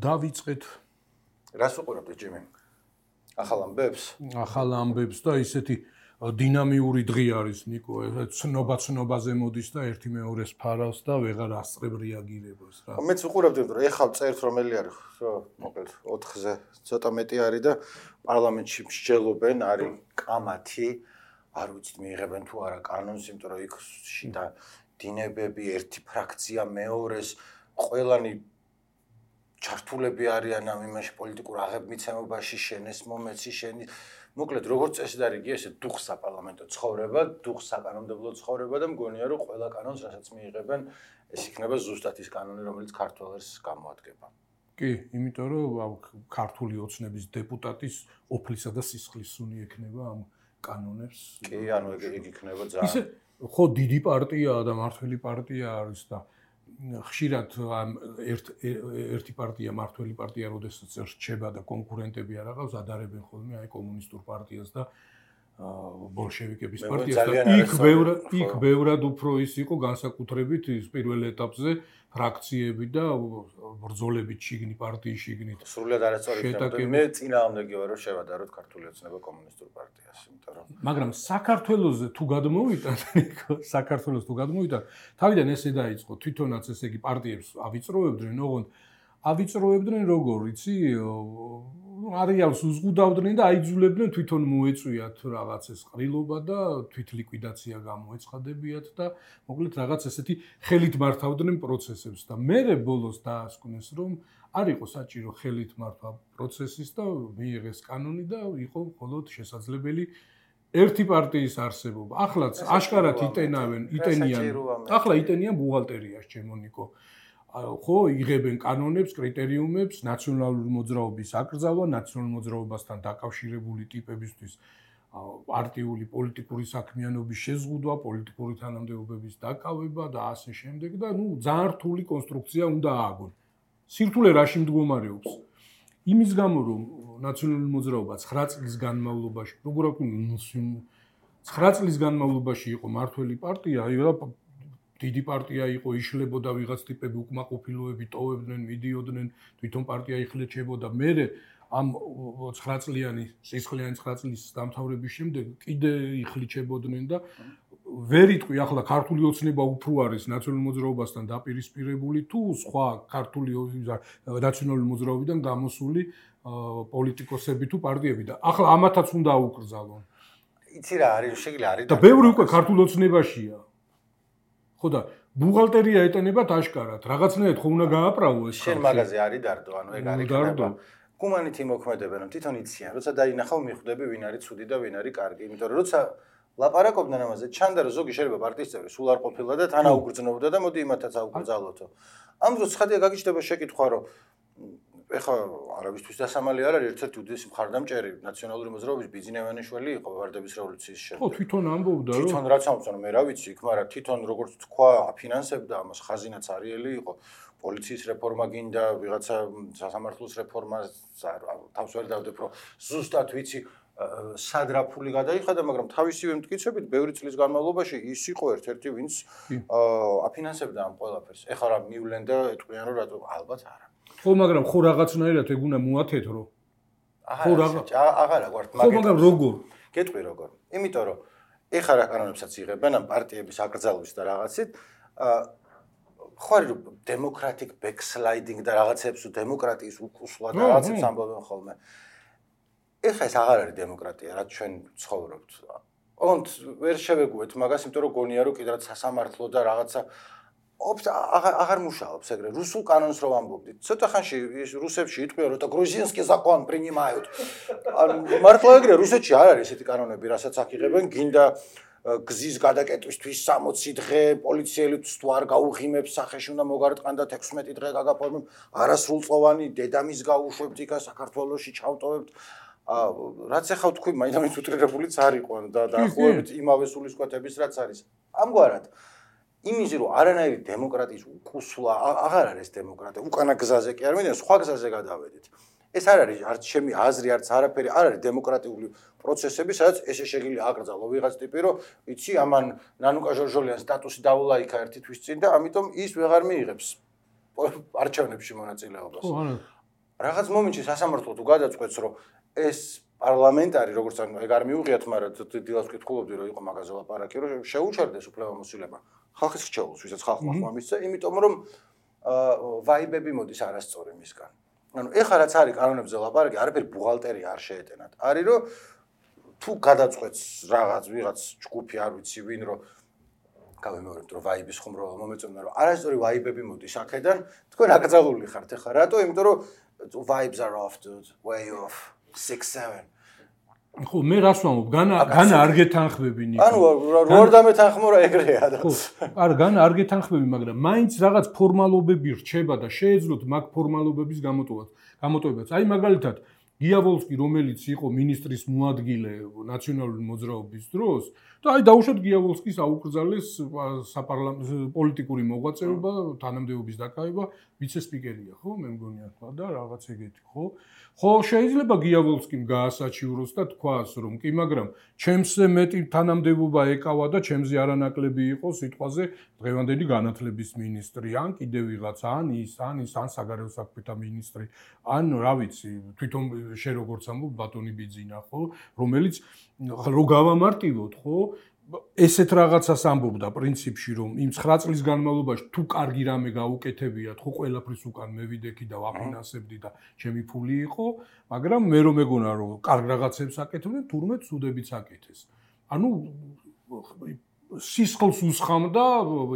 დავიწყეთ რას უყურებთ ჯიმი? ახალ ამბებს და ისეთი დინამიური დღე არის ნიკო, ცნობაზე მოდის და ერთი მეორეს ფარავს და ვეღარ ასწრებ რეაგირებას რა. მეც უყურებდი, რომ ეხლა წერთ რომელი არის, მოკლედ 4-ზე ცოტა მეტი არის და პარლამენტში მსჯელობენ, არის კამათი, არ ვიცით მიიღებენ თუ არა კანონს, იმიტომ რომ იქ შიდა დინებები, ერთი ფრაქცია მეორეს, ყველანი ჩართულები არიან ამ იმაში პოლიტიკურ აღებმიცემობაში, შენეს მომეცი შენი. მოკლედ როგორც წესი და რიგი ესე დუხს საპარლამენტო ცხოვრება, დუხს საკანონმდებლო ცხოვრება და მგონია რომ ყველა კანონს რასაც მიიღებენ, ეს იქნება ზუსტად ის კანონი, რომელიც ქართველებს გამოადგება. კი, იმიტომ რომ ქართული ოცნების დეპუტატის ოფლისა და სისხლის სუნი ექნება ამ კანონებს. კი, ანუ ეგ იქნება ძალიან. ისე ხო დიდი პარტიაა და მართველი პარტია არის და ხშირად ერთი პარტია მართველი პარტია როდესაც რჩება და კონკურენტები არ აღავს ადარებენ ხოლმე აი კომუნისტურ პარტიას და ბოლშევიკების პარტიას და იქ ბევრად უფრო ის იყო განსაკუთრებით ის პირველ ეტაპზე ფრაქციები და ბრძოლებით შიგნით პარტიის შიგნით სრულად არასწორი იქნება მე წინააღმდეგი ვარ რომ შევადაროთ ქართული ოცნება კომუნისტურ პარტიას იმიტომ რომ მაგრამ საქართველოსზე თუ გადმოვიდა თავიდან ესე დაიწყო თვითონაც ესე იგი პარტიებს ავიწროებდნენ როგორ იცი არეალს უზღუდავდნენ და აიძულებდნენ თვითონ მოეწვიათ რაღაც ეს ყრილობა და თვითლიკვიდაცია გამოეცხადებიათ და მოკლედ რაღაც ესეთი ხელით მართავდნენ პროცესებს და მერე ბოლოს დაასკვნეს რომ არ იყო საჭირო ხელით მართვა პროცესის და მიიღეს კანონი და იყო მხოლოდ შესაძლებელი ერთი პარტიის არსებობა. ახლაც აშკარად იტენიან ბუღალტერიაში ჩემონიკო. ხო, იღებენ კანონებს, კრიტერიუმებს, ნაციონალური მოძრაობის აკრძალვა, ნაციონალურ მოძრაობასთან დაკავშირებული ტიპებისთვის პარტიული პოლიტიკური საქმიანობის შეზღუდვა, პოლიტიკური თანამდებობების დაკავება და ასე შემდეგ და ძალიან რთული კონსტრუქცია უნდა ააგონ. სირთულე რაში მდგომარეობს? იმის გამო რომ ნაციონალური მოძრაობა 9 წლის განმავლობაში, როგორ აქვს 9 წლის განმავლობაში იყო მართველი პარტია, დიდი პარტია იყო, იშლებოდა ვიღაც ტიპები უკმაყოფილოები, ტოვებდნენ, მიდიოდნენ, თვითონ პარტია იხლეჩებოდა. მერე ამ 9 წლიანი, სისხლიანი 9 წლის დამთავრების შემდეგ კიდე იხლეჩებოდნენ და ვერ იტყვი ახლა ქართული ოცნება უფრო არის ნაციონალურ მოძრაობასთან დაპირისპირებული თუ სხვა ქართული ნაციონალური მოძრაობიდან გამოსული პოლიტიკოსები თუ პარტიები და ახლა ამათაც უნდა აუკრძალონ. იცი რა არის, შეგვიძლია არის და ბევრი უკვე ქართულ ოცნებაშია. ხო და ბუღალტერია ეტენებათ აშკარად, რაღაცნაირად ხო უნდა გააправო ეს. შენ მაგაზე არის დარდო, ანუ ეგ არის ხდება. გუმანით იმოქმედებენ, რომ თვითონ იციან, როცა დაინახავ მიხვდები ვინ არის ცუდი და ვინ არის კარგი, იმიტომ რომ როცა ლაპარაკობდნენ ამაზე, ჩანდა რომ ზოგი შეიძლება პარტიის წევრი სულ არ ყოფილა და თან აუგრძნობდა და მოდი იმათაც აუკრძალოთო. ამ დროს ცხადია გაგიჩნდება შეკითხვა, რომ ეხლა არავისთვის დასამალი არ არის, ერთ-ერთი უდიდესი მხარდამჭერი ნაციონალური მოძრაობის ბიძინევანიშვილი იყო ვარდების რევოლუციის შემდეგ. ხო, თვითონ ამბობდა, რომ თვითონ რაც ამბობს, მე რა ვიცი, იქ მაგრამ თვითონ როგორც თქვა, აფინანსებდა ამას, ხაზინაც არიელი იყო, პოლიციის რეფორმა გინდა, ვიღაცა სასამართლოს რეფორმა, თავს ვერ დავდებ, რომ ზუსტად ვიცი სად რა ფული გადაიხადა, მაგრამ თავისივე მტკიცებით, ბევრი წლის განმავლობაში ის იყო ერთ-ერთი, ვინც აფინანსებდა ამ ყველაფერს. ეხლა რა მივლენ და ეტყვიან, რომ რატო ალბათ არა. ხო, მაგრამ ხო რაღაცნაირად ეგ უნდა მოათეთრო. აღარა გვართ, მაგრამ როგორ? გეტყვი როგორ. იმიტომ რომ ეხლა რა კანონებსაც იღებენ ამ პარტიების აკრძალვის და რაღაცით, ხო არის რომ დემოკრატიკ ბექსლაიდინგ და რაღაცებს დემოკრატიის უკუსლა და რაღაცებს ამბობენ ხოლმე. ეხლა ეს აღარ არის დემოკრატია, რაც ჩვენ ცხოვრობთ. ოღონდ ვერ შევეგუეთ მაგას, იმიტომ რომ გონია რომ კიდევ სასამართლო და რაღაცა აღარ მუშაობს ეგრე. რუსულ კანონს რო ამბობდით. ცოტა ხანში რუსებში იტყვია რომ გრუზინსკი закон принимают. მართლა ეგრე რუსეთში არ არის ესეთი კანონები, რასაც აქ იღებენ, გინდა გზის გადაკეტვისთვის 60 დღე, პოლიციელიც თუ არ გაუღიმებს სახეში უნდა მოგარტყანდათ 16 დღე გაგაფორმებ, არასრულწლოვანი დედამის გაუშვებთ იქა საქართველოში ჩავტოვებთ. რაც ახლა თქვი, მაინც უტრირებულიც არ იყო და დაახლოებით იმავე სულისკვეთების რაც არის. ამგვარად იმისი რომ არანაირი დემოკრატიის უკუსლა აღარ არის დემოკრატია, უკანა გზაზე კი არ მინდა, სხვა გზაზე გადავედით. ეს არ არის არც ჩემი აზრი, არც არაფერი, არ არის დემოკრატიული პროცესები, სადაც ესე შეგიძლია აკრძალო ვიღაც ტიპი, რომ იცი, ამან ნანუკა ჟორჟოლიან სტატუსი დაულაიქა ერთი თვის წინ და ამიტომ ის ვეღარ მიიღებს არჩევნებში მონაწილეობას. რაღაც მომენტში სასამართლო თუ გადაწყვეტს, რომ ეს პარლამენტარი, როგორც ეგ არ მიუღიათ, მაგრამ დილას ვკითხულობდი, რომ იყო მაგაზე ლაპარაკი, რომ შეუჩერდეს უფლებამოსილება ხალხის რჩეულს, ვისაც ხალხმა ხმა მისცა, იმიტომ რომ ვაიბები მოდის არასწორი მისგან. ანუ ეხლა რაც არის კანონებზე ლაპარაკი, არაფერი ბუღალტერია არ შეეტენათ. არის რომ თუ გადაწყვეტს ვიღაც ჯგუფი, არ ვიცი ვინ, რომ გავიმეორებთ, რომ ვაიბის ხუმრობა მომეწონა, რომ არასწორი ვაიბები მოდის აქედან, თქვენ აკრძალული ხართ ეხლა. რატო? იმიტომ რომ vibes are off, dude. Way off. 6-7. ხო, მე რას ვამბობ? განა არ გეთანხმები ნიკო. ანუ რო არ დამეთანხმო რა ეგრეა და. ხო, არა, განა არ გეთანხმები, მაგრამ მაინც რაღაც ფორმალობები რჩება და შეეძლოთ მაგ ფორმალობების გამოტოვებაც. აი მაგალითად, გიავოლსკი, რომელიც იყო მინისტრის მოადგილე ნაციონალური მოძრაობის დროს, და აი დაუშვათ გიავოლსკის აუკრძალეს საპარლამენტო პოლიტიკური მოღვაწეობა, თანამდებობის დაკავება, ვიცე-სპიკერია, ხო, მე მგონი ახლა და რაღაც ეგეთი, ხო? ხო, შეიძლება გიავოლსკიმ გაასაჩივროს და თქვას, რომ კი, მაგრამ ჩემზე მეტი თანამდებობა ეკავა და ჩემზე არანაკლები იყო სიტყვაზე დღევანდელი განათლების მინისტრი, ან კიდევ ვიღაც, ან საგარეო საქმეთა მინისტრი, ან რა ვიცი, თვითონ შენ როგორც ამბობ ბატონი ბიძინა, ხო, რომელიც რო გავამარტივოთ, ხო, ესეთ რაღაცას ამბობდა პრინციპში, რომ იმ 9 წლის განმავლობაში თუ კარგი რამე გაუკეთებიათ, ხო ყველაფრის უკან მე ვიდექი და ვაფინანსებდი და ჩემი ფული იყო, მაგრამ მე რომ მეგონა რომ კარგ რაღაცებს აკეთებდნენ, თურმე ცუდებიც აკეთეს. ანუ სისხლს უსხამდა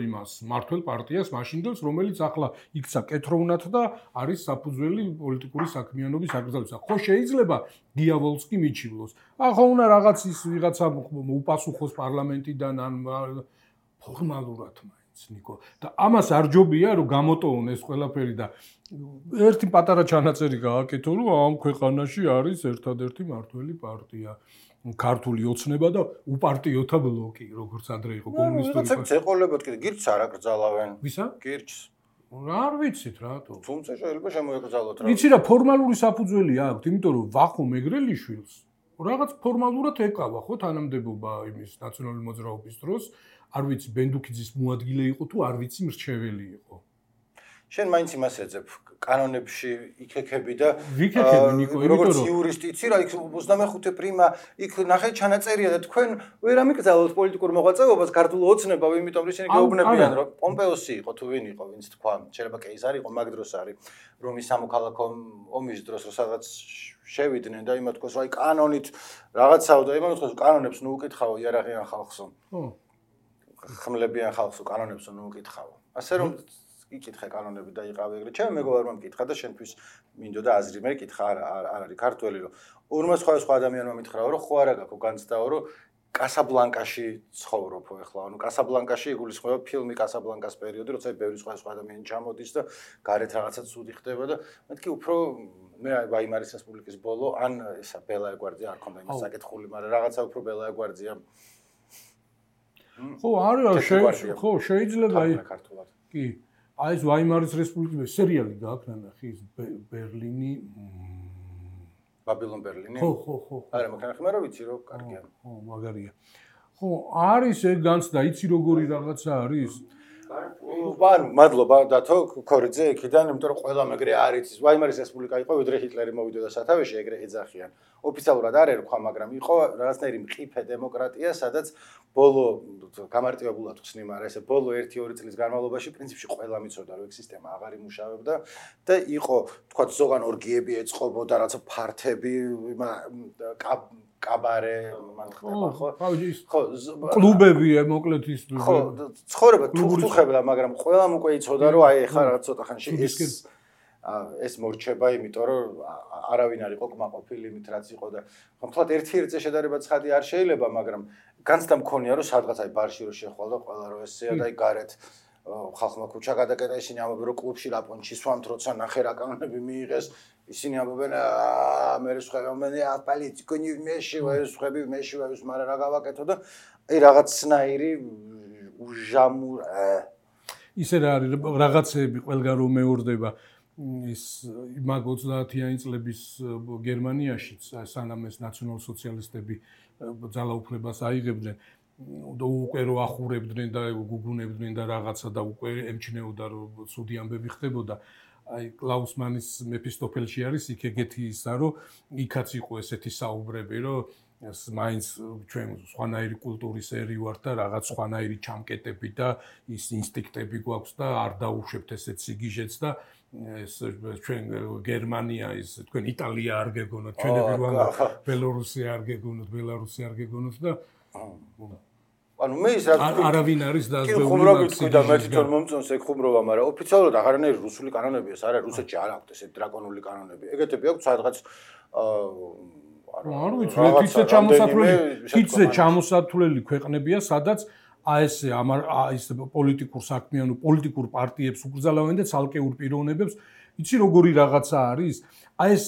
იმას მართლ პარტიას მაშინდელს, რომელიც ახლა იქცა კეთროვნად და არის საფუძველი პოლიტიკური საქმიანობის აკრძალვისა. ხო შეიძლება გიავოლსკი მიჩივლოს. ახლა უნდა რაღაც ის ვიღაცა უპასუხოს პარლამენტიდან ან ფორმალურად მაინც ნიკო. და ამას არ ჯობია რომ გამოტოვონ ეს ყველაფერი და ერთი პატარა ჩანაწერი გააკეთო, რომ ამ ქვეყანაში არის ერთადერთი მართველი პარტია. ქართული ოცნება და უპარტიოთა ბლოკი, როგორც ადრე იყო კომუნისტური პარტია. ეყოლებოდ კიდე გირჩს არ აკრძალავენ. ვისა? გირჩს. არ ვიცით რატო. თუმცა შეიძლება შემოეკრძალოთ რა. ვიცი რა, ფორმალური საფუძველი აქვს, იმიტომ რომ ვახო მეგრელიშვილს რაღაც ფორმალურად ეკავა, ხო, თანამდებობა იმის ნაციონალური მოძრაობის დროს, არ ვიცი, ბენდუქიძის მოადგილე იყო თუ არ ვიცი, მრჩეველი იყო. შენ მაინც იმას ეძებ კანონებში იქექები და ვიქექები ნიკო, როგორც იურისტი იცი რა, იქ 25 პრიმა იქ ნახე ჩანაწერია და თქვენ ვერ ამიკრძალოთ პოლიტიკურ მოღვაწეობას ქართულ ოცნებავ, იმიტომ რომ ისინი გეუბნებიან რომ პომპეოსი იყო თუ ვინ იყო, ვინც თქვა, შეიძლება კეიზარი იყო, მაგ დროს არის რომის სამოქალაქო ომის დროს სადაც შევიდნენ და იმათ თქოს, აი კანონით რაღაცაო და იმათ თქოს, კანონებს ნუ უკითხავ იარაღიან ხალხსო. ხო. ხმლებიან ხალხსო კანონებს ნუ უკითხავ. ასე რომ იკითხე კანონები და იყავი ეგრე. ჩემ მეგობარმა მკითხა და შენთვის მინდოდა აზრი, მე კითხა არ არის ქართველი რომ ორმა სხვა ადამიანმა მითხრაო რომ ხო არა გაქვს განცდაო რომ კასაბლანკაში ცხოვრობ ახლა. ანუ კასაბლანკაში იგულისხმება ფილმი კასაბლანკას პერიოდი, როცა ბევრი სხვა ადამიანი ჩამოდის და გარეთ რაღაცა ცუდი ხდება და მეთქი უფრო მე ვაიმარის რესპუბლიკის ბოლო ან ესა ბელა ეგვარძია არ ქონდა იმას საკითხული, მაგრამ რაღაცა უფრო ბელა ეგვარძია. ხო, არის ხო, შეიძლება აი კი აი ეს ვაიმარის რესპუბლიკის სერიალი გააქვს ნახე ის ბერლინი ბაბილონ ბერლინი ხო არა მაგარი მაგრამ ვიცი რომ კარგია ხო მაგარია ხო არის ეგ განცდა იცი როგორი რაღაცა არის ანუ მადლობა დათო ქორიძე იქიდან იმიტომ რომ ყველა მეგრე არ იცის ვაიმარის რესპუბლიკა იყო ვიდრე ჰიტლერი მოვიდოდა სათავეში ეგრე ეძახიან ოფიციალურად არ ერქვა მაგრამ იყო რაღაცნაირი მყიფე დემოკრატია სადაც ბოლო გამარტივებულად ხსნი მაგრამ ესე ბოლო 1-2 წლის განმავლობაში პრინციპში ყველა მიცოდა რომ ეგ სისტემა აღარ იმუშავებდა და იყო თქვა ზოგან ორგიები ეწყობოდა რაღაცა ფართები კაბარე მან ხდება ხო? ხო, კლუბები მოკლედ ის ხო, ცხოვრება თუხთუხებდა, მაგრამ ყველამ უკვე იცოდა რომ აი ეხლა რაღაც ცოტა ხანში ეს მორჩება, იმიტომ რომ არავინ არ იყო კმაყოფილი იმით რაც იყო და ხომხლად ერთ-ერთი შედარება ცხადი არ შეიძლება, მაგრამ განცდა მქონია რომ სადღაც აი ბარში რო შეხვალდა ყველა რო ესეა და აი გარეთ ხალხმა ქუჩა გადაკეტა ისინი ამბობენ რომ კლუბში ლაპონჩი სვამთ როცა ნახე რა კანონები მიიღეს ისინი ამბობენ მე სხვები პოლიტიკონი მეშივები მაგრამ რა გავაკეთო და აი რაღაცნაირი უჟამურ ისე რა არის რაღაცები ყველგან რომ მეორდება ის მაგ 30-იანი წლების გერმანიაში სანამ ეს ნაციონალ-სოციალისტები ძალაუფლებას აიღებდნენ და უკვე რო ახურებდნენ და გუგუნებდნენ და რაღაცა და უკვე ემჩნეოდა რომ ცუდი ამბები ხდებოდა აი კლაუსმანის მეფისტოფელში არის იქ ეგეთი ისა, რომ იქაც იყო ესეთი საუბრები, რომ მაინც ჩვენ სხვანაირი კულტურის ერი ვართ და რაღაც სხვანაირი ჩამკეტები და ის ინსტინქტები გვაქვს და არ დაუშვებთ ესეთ სიგიჟეც და ეს ჩვენ გერმანია ის თქვენ იტალია არ გეგონოთ, ჩვენები ვამბობ ბელორუსია არ გეგონოთ, ბელარუსი არ გეგონოთ და ანუ მე ის რა არავინ არის დაზღვეული ხუმრობით და მე თვითონ მომწონს ეგ ხუმრობა, მაგრამ ოფიციალურად აღარანაირი რუსული კანონები ეს არა, რუსეთში არ აქვს ესეთ დრაკონული კანონები. ეგეთები აქვს სადღაც არ ვიცი, თითზე ჩამოსათვლელი ქვეყნებია, სადაც ეს პოლიტიკურ საქმიანო პოლიტიკურ პარტიებს უკრძალავენ და ცალკეულ პიროვნებებს. იცი როგორი რაღაცა არის? აი ეს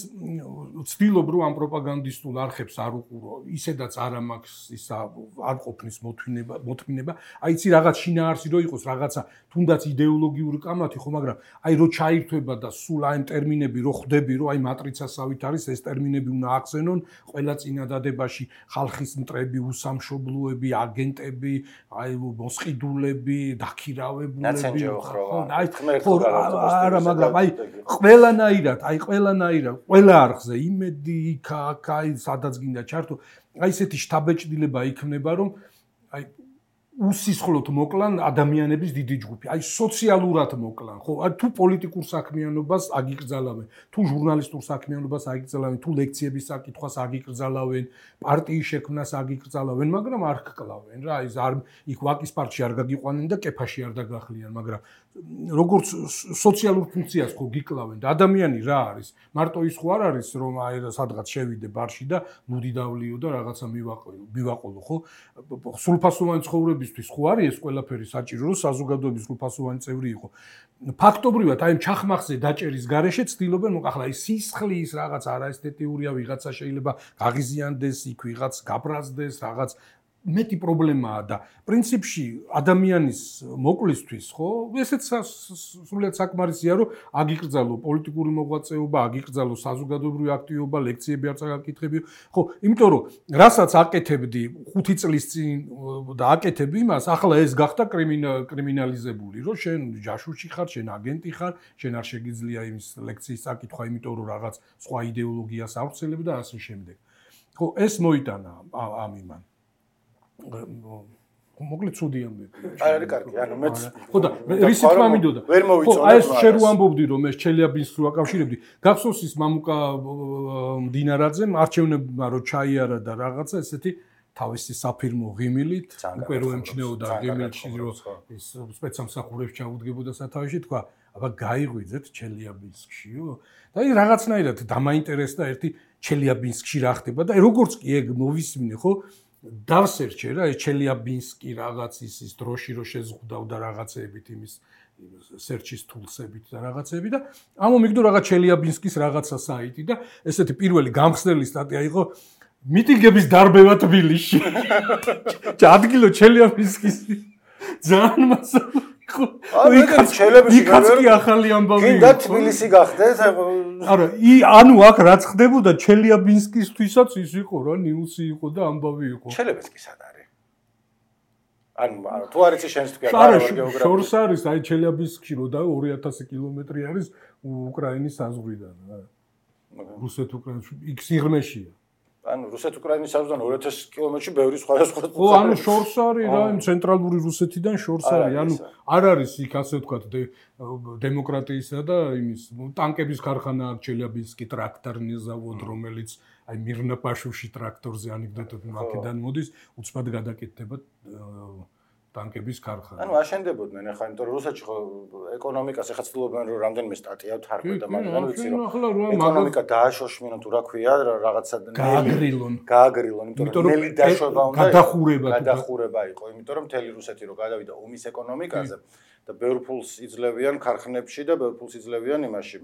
ვცდილობ რომ ამ პროპაგანდისტულ არხებს არ უყურო, ისედაც არ მაქვს ისა არ ყოფნის მოთმინება. აი იცი რაღაც შინაარსი რო იყოს, რაღაცა თუნდაც იდეოლოგიური კამათი ხო, მაგრამ აი რო ჩაირთვება და სულ აი ტერმინები რო ხვდები, რომ აი მატრიცასავით არის ეს ტერმინები უნდა ახსენონ ყველა წინადადებაში ხალხის მტრები, უსამშობლოები, აგენტები, აი მოსყიდულები, დაქირავებულები. ხო, არა, მაგრამ აი ყველანაირად ყველა არხზე იმედი იქ აი სადაც გინდა ჩართო აი ესეთი შთაბეჭდილება იქნება რომ აი უსისხლოდ მოკლან ადამიანების დიდი ჯგუფი აი სოციალურად მოკლან ხო აი თუ პოლიტიკურ საქმიანობას აგიკრძალავენ თუ ჟურნალისტურ საქმიანობას აგიკრძალავენ თუ ლექციების საკითხვას აგიკრძალავენ პარტიის შექმნას აგიკრძალავენ მაგრამ არ ჰკლავენ რა ის არ იქ ვაკის პარკში არ გაგიყვანენ და კეფაში არ დაგახლიან მაგრამ როგორც სოციალურ ფუნქციას ხო გიკლავენ და ადამიანი რა არის მარტო ის ხო არ არის რომ აი სადღაც შევიდე ბარში და ნუდი დავლიო და რაღაცა მივაყოლო ხო სრულფასოვანი ცხოვრებისთვის ხო არის ეს ყველაფერი საჭირო რომ საზოგადოების სრულფასოვანი წევრი იყო ფაქტობრივად აი ჩახმახზე დაჭერის გარეშე ცდილობენ მოყახლა ის სისხლის რაღაც არაესთეტიურია ვიღაცა შეიძლება გაღიზიანდეს იქ ვიღაც გაბრაზდეს რაღაც მეტი პრობლემაა და პრინციპში ადამიანის მოკლისთვის ხო ესეც სრულიად საკმარისია რომ აგიკრძალო პოლიტიკური მოღვაწეობა აგიკრძალო საზოგადოებრივი აქტივობა ლექციები არ წაგაკითხებიო ხო იმიტომ რომ რასაც აკეთებდი 5 წლის წინ და აკეთებ იმას ახლა ეს გახდა კრიმინალიზებული რომ შენ ჯაშუში ხარ შენ აგენტი ხარ შენ არ შეგიძლია იმის ლექციის წაკითხვა იმიტომ რომ რაღაც სხვა იდეოლოგიას ავრცელებ და ასე შემდეგ ხო ეს მოიტანა ამ იმან მოკლედ ცუდი ამბები. არ არის კარგი, ანუ მეც ხო და რის თქმა მინდოდა. ხო, აი ეს შენ რო ამბობდი რომ ეს ჩელიაბინსკს რო აკავშირებდი, გახსოვს ის მამუკა მდინარაძემ არჩევნებმა რო ჩაიარა და რაღაცა ესეთი თავისი საფირმო ღიმილით, უკვე რო ემჩნეოდა ღიმილში რო ის სპეცსამსახურებს ჩაუდგებოდა სათავეში, თქვა, აბა გაიღვიძეთ ჩელიაბინსკშიო? და აი რაღაცნაირად დამაინტერესდა ერთი ჩელიაბინსკში რა ხდება და როგორც კი ეგ მოვისმინე, ხო? დავსერჩე რა ეს ჩელიაბინსკი რაღაც ის დროში რო შეზღუდავ და რაღაცეებით იმის სერჩის თულსებით და რაღაცეები და ამომიგდო რაღაც ჩელიაბინსკის რაღაცა საიტი და ესეთი პირველი გამხსნელი სტატია იყო მიტინგების დარბევა თბილისში. ადგილო ჩელიაბინსკის ძალიან მასალა იქაც კი ახალი ამბავი გინდა თბილისი გახდეს არა ანუ აქ რაც ხდებოდა ჩელიაბინსკისთვისაც ის იყო რა ნიუსი იყო და ამბავი იყო ჩელიაბინსკი სად არის ანუ თუ არ იცი შენს თქვენ არა გეოგრაფია შორს არის აი ჩელიაბინსკში რო და 2000 კილომეტრი არის უკრაინის საზღვრიდან რა რუსეთ-უკრაინის იქ სიღრმეშია ანუ რუსეთ-უკრაინის საზღვრიდან 2000 კილომეტრში ბევრი სხვა ხო ანუ შორს არის რა იმ ცენტრალური რუსეთიდან შორს არის ანუ არ არის იქ ასე ვთქვათ დემოკრატიისა და იმის ტანკების ქარხანა აქვს ჩელიაბინსკი ტრაქტორნის ზავოდ რომელიც აი მირნაპაშოვში ტრაქტორზე ანეკდოტები მაქედან მოდის უცბად გადაკეთდება ტანკების ქარხანა. ანუ აშენდებოდნენ ახლა, იმიტომ რომ რუსეთში ხო ეკონომიკას ახლა ცდილობენ რომ რამდენიმე სტატია თარგმნեն და მაგრამ ვიცი რომ ეკონომიკა დააშოშმინონ თუ რა ქვია რაღაცა გააგრილონ, იმიტომ რომ ნელი დაშვება უნდა გადახურება იყო, იმიტომ რომ მთელი რუსეთი რო გადავიდა ომის ეკონომიკაზე და ბევრ ფულს იძლევიან ქარხნებში და ბევრ ფულს იძლევიან იმაში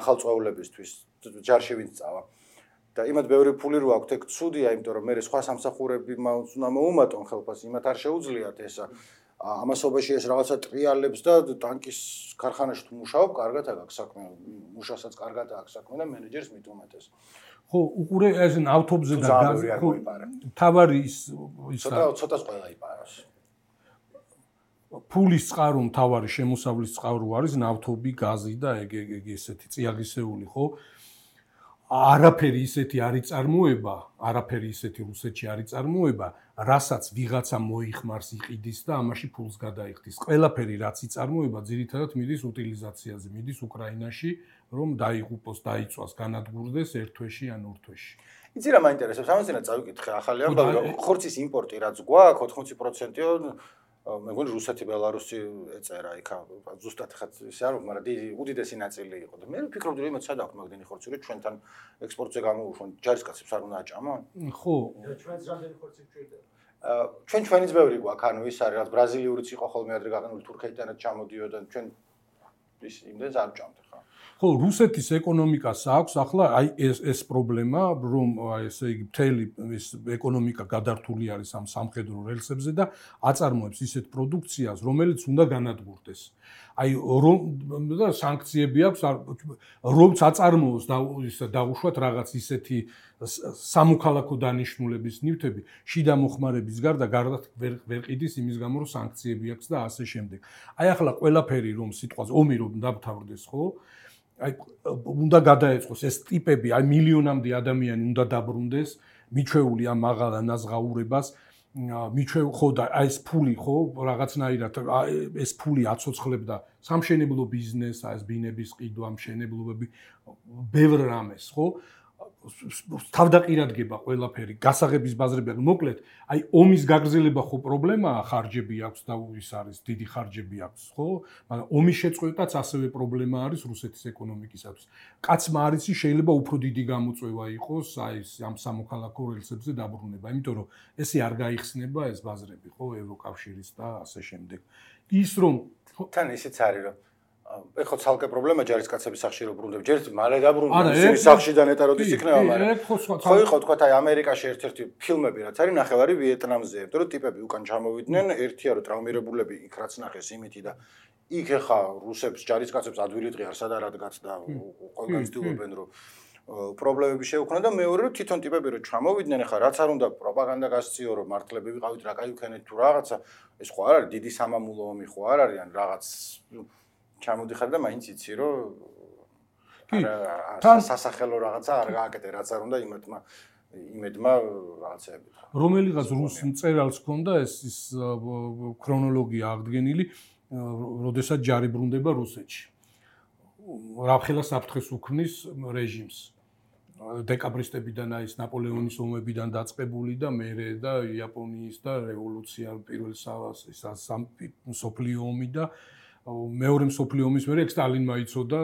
ახალ წვეულებისთვის ჯარში ვინც წავა. და იმათ ბევრი ფული რო აქვთ ეგ ცუდია, იმიტომ რომ მე სხვა სამსახურები უნდა მოუმატონ ხელფას, იმათ არ შეუძლიათ ესა. ამასობაში ეს რაღაცა ტრიალებს და ტანკის ქარხანაში თუ მუშაობ, კარგად აქვს საქმე, მუშასაც კარგად აქვს საქმე და მენეჯერს მით უმეტეს. ხო, უყურე ეს ავტობზე და თავარი ის ცოტას ყველა იპაროს. ფულის წყარო მთავარი შემოსავლის წყარო არის ნავთობი, გაზი და ეგ ესეთი წიაღისეული, ხო? არაფერი ისეთი არ იწარმოება, არაფერი ისეთი რუსეთში არ იწარმოება, რასაც ვიღაცა მოიხმარს, იყიდის და ამაში ფულს გადაიხდის. ყველაფერი რაც იწარმოება, ძირითადად მიდის უტილიზაციაზე, მიდის უკრაინაში, რომ დაიღუპოს, დაიწვას, განადგურდეს ერთ თვეში ან ორ თვეში. იცი რა მაინტერესებს, ამაზე წავიკითხე ახალი ამბავი, ხორცის იმპორტი რაც გვაქვს 80%-ო მე მგონი რუსეთი, ბელარუსი ეწერა იქ ზუსტად ხა ისე არ მაგრამ უდიდესი ნაწილი იყო და მე ვფიქრობდი რომ იმათ სადაქვთ მაგდენი ხორცი რომ ჩვენთან ექსპორტზე გამოუშვან ჯარისკაცებს არ უნდა აჭამონ? ხო. ჩვენს რამდენი ხორცი გვჭირდება? ჩვენიც ბევრი გვაქვს, ანუ ის არის რაც ბრაზილიურიც იყო ხოლმე ადრე გაყენული თურქეთიდანაც ჩამოდიოდა ჩვენ ის იმდენს არ ვჭამთ ხა. ხო, რუსეთის ეკონომიკას აქვს ახლა აი ეს პრობლემა, რომ ესე იგი მთელი ეს ეკონომიკა გადართული არის ამ სამხედრო რელსებზე და აწარმოებს ისეთ პროდუქციას, რომელიც უნდა განადგურდეს. აი რომ და სანქციები აქვს, რომც აწარმოოს და დაუშვათ რაღაც ისეთი სამოქალაქო დანიშნულების ნივთები, შიდა მოხმარების გარდა ვერ ყიდის იმის გამო, რომ სანქციები აქვს და ასე შემდეგ. აი ახლა ყველაფერი რომ სიტყვაზე ომი რომ დამთავრდეს, ხო? აი უნდა გადაეწყოს ეს ტიპები, აი მილიონამდე ადამიანი უნდა დაბრუნდეს, მიჩვეული ამ მაღალ ანაზღაურებას, ხო და აი ეს ფული, ხო, რაღაცნაირად ეს ფული აცოცხლებდა სამშენებლო ბიზნესს, ეს ბინების ყიდვა, მშენებლობები, ბევრ რამეს, ხო? თავდაყირადგება ყველაფერი, გასაღების ბაზრები, მოკლედ, აი ომის გაგრძელება ხო პრობლემაა, ხარჯები აქვს და ის არის, დიდი ხარჯები აქვს, ხო? მაგრამ ომის შეწყვეტაც ასევე პრობლემა არის რუსეთის ეკონომიკისათვის. კაცმა არ იცი, შეიძლება უფრო დიდი გამოწვევა იყოს აი ამ სამოქალაქო რელსებზე დაბრუნება, იმიტომ რომ ესე არ გაიხსნება ეს ბაზრები, ხო, ევროკავშირის და ასე შემდეგ. ის რომ თან ისიც არის რომ ეხლა ცალკე პრობლემა ჯარისკაცების სახში რო ბრუნდები. ჯერ მალე დაბრუნდნენ ისინი სახშიდან ეტაროდის იქნება, მაგრამ ხო იყო თქვა აი ამერიკაში ერთ-ერთი ფილმები რაც არის ნახევარი ვიეტნამზე, იმიტომ რომ ტიპები უკან ჩამოვიდნენ, ერთია რომ ტრავმირებულები იქ რაც ნახეს იმითი და იქ ეხა რუსებს ჯარისკაცებს ადვილი დღე არ სადარადგაც და ყველგან ცდილობენ რომ პრობლემები შეუქმნა და მეორე რომ თვითონ ტიპები რომ ჩამოვიდნენ ეხა რაც არ უნდა პროპაგანდა გასწიო რომ მართლები ვიყავით რა კაი ვქენეთ თუ რაღაცა ეს ხო არ არის დიდი სამამულო ომი ხო არ არის ან რაღაც ჩამოდიხარ და მაინც იცი რომ სასახელო რაღაცა არ გააკეთე რაც არ უნდა იმედმა რაღაცეებით რომელიღაც რუს მწერალს ჰქონდა ეს ქრონოლოგია აღდგენილი როდესაც ჯარი ბრუნდება რუსეთში რაფხელა საფრთხეს უქმნის რეჟიმს დეკაბრისტებიდან აი ეს ნაპოლეონის ომებიდან დაწყებული და მერე და იაპონიის და რევოლუცია პირველ მსოფლიო ომი და მეორე მსოფლიო ომის მერე სტალინმა იცოდა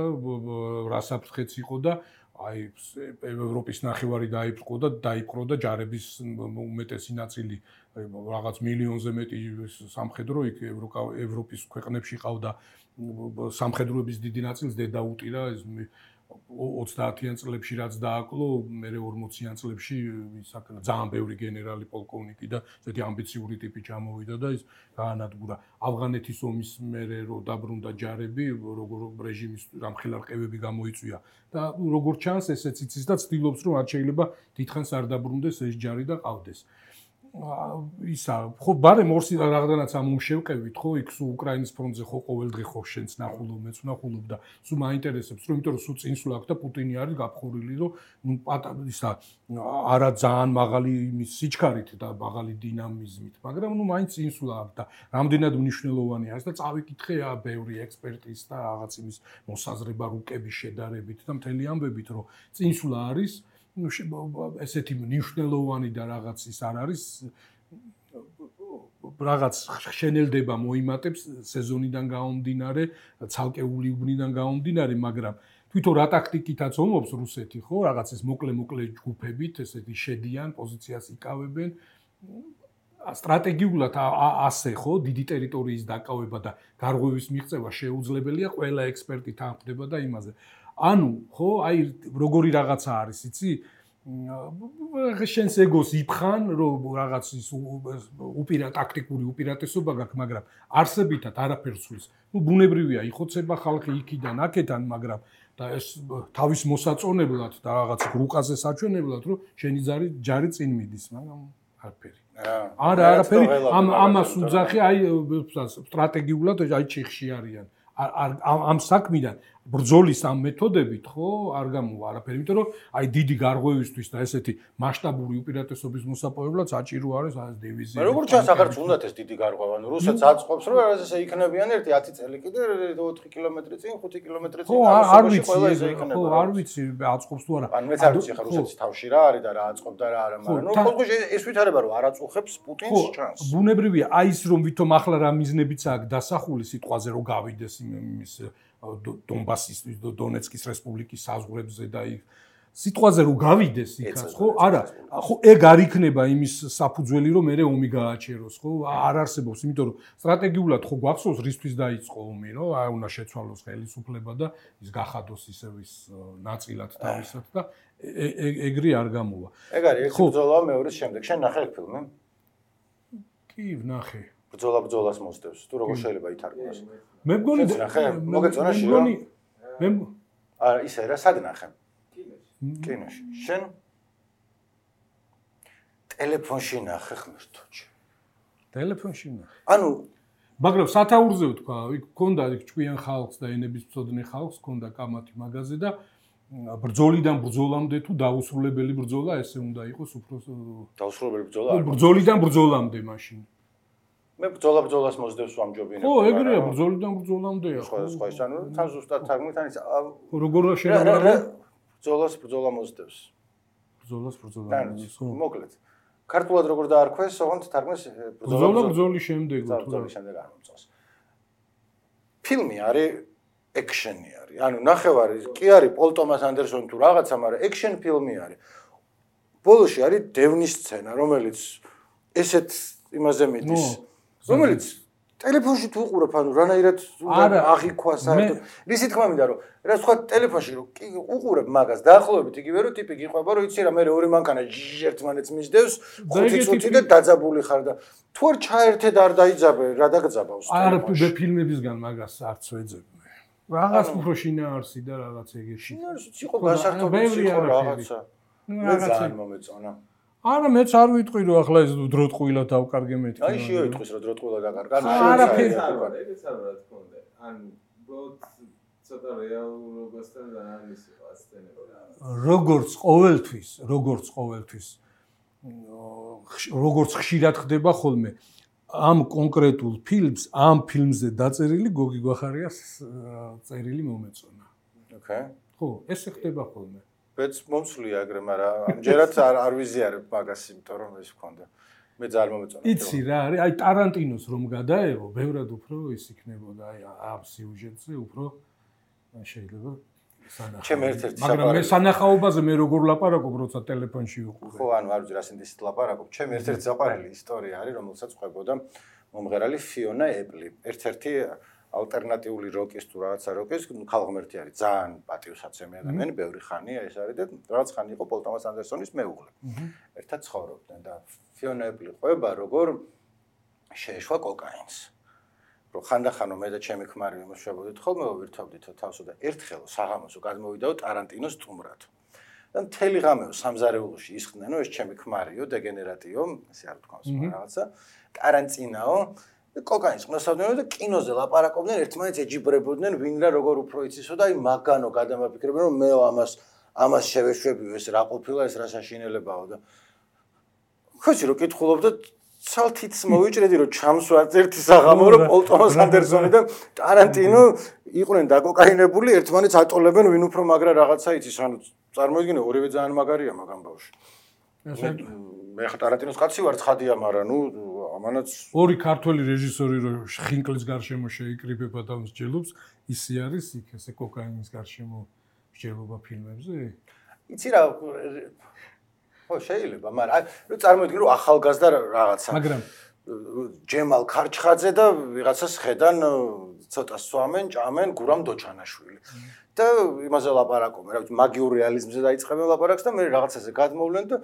რა საფრთხეც იყო და აი ევროპის ნახევარი დაიპყრო და ჯარების უმეტესი ნაწილი რაღაც მილიონზე მეტი სამხედრო იქ ევროპის ქვეყნებში ყავდა სამხედროების დიდი ნაწილს დაუტირა ეს 30-იან წლებში რაც დააკლო, მე 40-იან წლებში ძალიან ბევრი გენერალი, პოლკოვნიკი და ესეთი ამბიციური ტიპი ჩამოვიდა და ის გაანადგურა. ავღანეთის ომის მერე რო დაბრუნდა ჯარები, როგორ რეჟიმის რამხელა რყევები გამოიწვია და როგორც ჩანს, ესეც იცის და ცდილობს რომ არ შეიძლება დიდხანს არ დაბრუნდეს ეს ჯარი და ყავდეს. ისა ხო ბარემ ორს რაღაცნაირად ამომშევყევით ხო იქ სულ უკრაინის ფრონტზე ხო ყოველდღე ხო შენს ნახულობ მეც ვნახულობ და სულ მაინტერესებს რომ იმიტომ რომ სულ წინსვლა აქვს და პუტინი არის გაფხურილი რომ ნუ ისა არა ძალიან მაღალი იმის სიჩქარით და მაღალი დინამიზმით მაგრამ ნუ მაინც წინსვლა აქვს და რამდენად მნიშვნელოვანი არის და წავიკითხე ბევრი ექსპერტის და რაღაც იმის მოსაზრება რუკების შედარებით და მთელი ამბებით რომ წინსვლა არის ესეთი მნიშვნელოვანი და რაღაც ის არ არის რაღაც შენელდება მოიმატებს სეზონიდან გამომდინარე, ცალკეული უბნიდან გამომდინარე, მაგრამ თვითონ რა ტაქტიკითაც ომობს რუსეთი, ხო, რაღაც ეს მოკლე ჯგუფებით, ესეთი შედიან, პოზიციას იკავებენ. სტრატეგიულად ასე, ხო, დიდი ტერიტორიის დაკავება და გარღვევის მიღწევა შეუძლებელია, ყველა ექსპერტი თანხმდება და იმაზე. ანუ, ხო, აი როგორი რაღაცა არის, იცი? შენს ეგოს იფხან, რომ რაღაც ის ტაქტიკური უპირატესობა გაქვს, მაგრამ არსებითად არაფერს სვლის. ნუ ბუნებრივია, იხოცება ხალხი იქიდან, აქედან, მაგრამ და ეს თავის მოსაწონებლად და რაღაც რუკაზე საჩვენებლად, რომ შენი ჯარი წინ მიდის, მაგრამ არაფერი. არა, არაფერი, ამას უძახი, აი სტრატეგიულად აი ჩიხში არიან. ამ საქმიდან ბრძოლის ამ მეთოდებით ხო არ გამოვა არაფერი, იმიტომ რომ აი დიდი გარღვევისთვის და ესეთი მასშტაბური უპირატესობის მოსაპოვებლად საჭირო არის აი დივიზია. მე როგორც ჩანს აღარც უნდათ ეს დიდი გარღვევა, ანუ რუსეთს აწყობს რომ ესე იქნებიან 10 წელი კიდე 4 კილომეტრი წინ, 5 კილომეტრი წინ ამასობაში ყველა ესე იქნება. ხო, არ ვიცი აწყობს თუ არა. ან მეც არ ვიცი ხა რუსეთის თავში რა არის და რა აწყობდა რა არა, მაგრამ ნუ ხოლმე ეს ვითარება რომ არ აწუხებს პუტინს ჩანს. ბუნებრივია აი ის რომ ვითომ ახლა რა მიზნებიც აქვს დასახული სიტყვაზე რომ გავიდეს იმის დონბასის დონეცკის რესპუბლიკის საზღვრებზე და იქ სიტყვაზე რომ გავიდეს იქაც ხო არა ხო ეგ არ იქნება იმის საფუძველი რომ მე ომი გააჩეროს ხო არ არსებობს იმიტომ რომ სტრატეგიულად ხო გვახსოვს რისთვის დაიწყო ომი რომ აი უნდა შეცვალოს ხელისუფლება და ის გახადოს ისევ ის ნაწილად თავისად და ეგრე არ გამოვა ეგ არის ერთი ბრძოლა მეორის შემდეგ შენ ნახე ეგ ფილმი კი ვნახე ბრძოლას მოსდევს თუ როგორ შეიძლება ითარგმნოს მე მგონი მოგეწონა მე არა ისე რა სად ნახე კინოში შენ ტელეფონში ნახე ღმერთოჩი ტელეფონში ნახე ანუ მაგრამ სათაურზე ვთქვა იქ ქონდა იქ ჭკვიან ხალხს და ენების მწოდნე ხალხს ქონდა კამათი მაღაზი და ბრძოლიდან ბრძოლამდე თუ დაუსრულებელი ბრძოლა ესე უნდა იყოს უფრო დაუსრულებელი ბრძოლა ბრძოლიდან ბრძოლამდე მაშინ მე ბრძოლას მოსდევს ვამჯობინებ ხო ეგრეა ბრძოლიდან ბრძოლამდეა სხვა ის ანუ თან ზუსტად თარგმნით ან ის როგორ შეიძლება ბრძოლა მოსდევს ბრძოლა ხო მოკლედ ქართულად როგორ დაარქვეს ოღონდ თარგმნეს ბრძოლის შემდეგ ბრძოლის შემდეგ არ მომწონს ფილმი არის ექშენი არის ანუ ნახევარი კი არის პოლ ტომას ანდერსონი თუ რაღაცა მაგრამ ექშენ ფილმი არის ბოლოში არის დევნის სცენა რომელიც ესეთ იმაზე მიდის რომელიც ტელეფონში თუ უყურებ ანუ რანაირად უნდა აღიქვა საერთოდ რისი თქმა მინდა რომ რა სხვა ტელეფონში რომ უყურებ მაგას დაახლოებით იგივე რომ ტიპი გიყვება რომ იცი რა მე ორი მანქანა ერთმანეთს მისდევს 5 წუთი და დაძაბული ხარ და თუ არ ჩაერთე და არ დაიძაბე რა დაგძაბავს არა მე ფილმებისგან მაგას არც ვეძებ რაღაც უფრო შინაარსი და რაღაც ეგეთი შინაარსი იყო გასართობი იყო რაღაცა მე ძალიან მომეწონა არა მეც არ ვიტყვი რომ ახლა ეს დროტყვილა დავკარგე მეთქი აი შეიტყვის რომ დროტყვილა დაკარგა არაფერი ეგეც არ რა თქმა უნდა ან უბრალოდ ცოტა რეალურობასთან და ამის სცენები როგორც ხშირად ხდება ხოლმე ამ კონკრეტულ ფილმს ამ ფილმზე დაწერილი გოგი გვახარიას წერილი მომეწონა ოკეი ხო ესე ხდება ხოლმე ბეც მომსვლია ეგრე, მაგრამ ამჯერად არ ვიზიარებ მაგას, იმიტომ რომ ეს მქონდა. მე ძალიან მომეწონა. იცი რა არის, აი ტარანტინოს რომ გადაეღო, ბევრად უფრო ის იქნებოდა, აი ამ სიუჟეტზე უფრო შეიძლება სანახაო. ჩემ ერთ-ერთი მაგრამ მე სანახაობაზე მე როგორ ლაპარაკობ, როცა ტელეფონში ვიყურე. ხო, ანუ არ ვიცი რა სინდისით ლაპარაკობ. ჩემ ერთ-ერთი საყვარელი ისტორია არის, რომელსაც ყვებოდა მომღერალი ფიონა ეპლი. ერთ-ერთი ალტერნატიული როკის თუ რაღაცა როკის ხალხმერთი არის ძალიან პატივსაცემი ადამიანი, ბევრი ხანია ეს არის და რაღაც ხანი იყო პოლ ტომას ანდერსონის მეუღლე. ერთად ცხოვრობდნენ და ფიონა ეპლი ყვება როგორ შეეშვა კოკაინს. რომ ხანდახანო მე და ჩემი ქმარი იმუშავებოდით ხოლმე ვირთვავდით თავსო და ერთხელ საღამოსო გადმოვიდაო ტარანტინოს სტუმრად. და მთელი ღამე სამზარეულოში ისხდნენ, რომ ეს ჩემი ქმარიო, დეგენერატიო, ესე არ თქვავს რაღაცა, ტარანტინაო კოკაინს ყნოსავდნენ და კინოზე ლაპარაკობდნენ, ერთმანეთს ეჯიბრებოდნენ, ვინ რა როგორ უფრო იცისო და აი მაგანო გადამაფიქრებდნენ, რომ მე ამას შევეშვებიო, ეს რა ყოფილა, ეს რა საშინელებაო და ხოჭი რო კითხულობდა ცალთიც მოვიჭრედი რომ ჩამსვათ ერთი საღამო რომ პოლ ტომას ანდერსონი და ტარანტინო იყვნენ დაკოკაინებული, ერთმანეთს ატოლებენ, ვინ უფრო მაგრა რაღაცა იცის, ანუ წარმოიდგინე ორივე ძალიან მაგარია მაგ ამბავში. მე ხა ტარანტინოს კაცი ვარ ცხადია, მაგრამ ნუ ამანაც ორი ქართველი რეჟისორი რო ხინკლის გარშემო შეიკრიბება და მსჯელობს, ისე არის იქ ესე კოკაინის გარშემო მსჯელობა ფილმებზე? იცი რა ხო შეიძლება, მაგრამ ნუ წარმოიდგინე რომ ახალგაზრდა რაღაცა. მაგრამ ჯემალ ქარჩხაძე და ვიღაცას ხედან ცოტა სვამენ, ჭამენ გურამ დოჩანაშვილი. და იმაზე ლაპარაკობენ, რა ვიცი, მაგიურ რეალიზმზე დაიწყებენ ლაპარაკს და მე რაღაცაზე გადმოვლენ და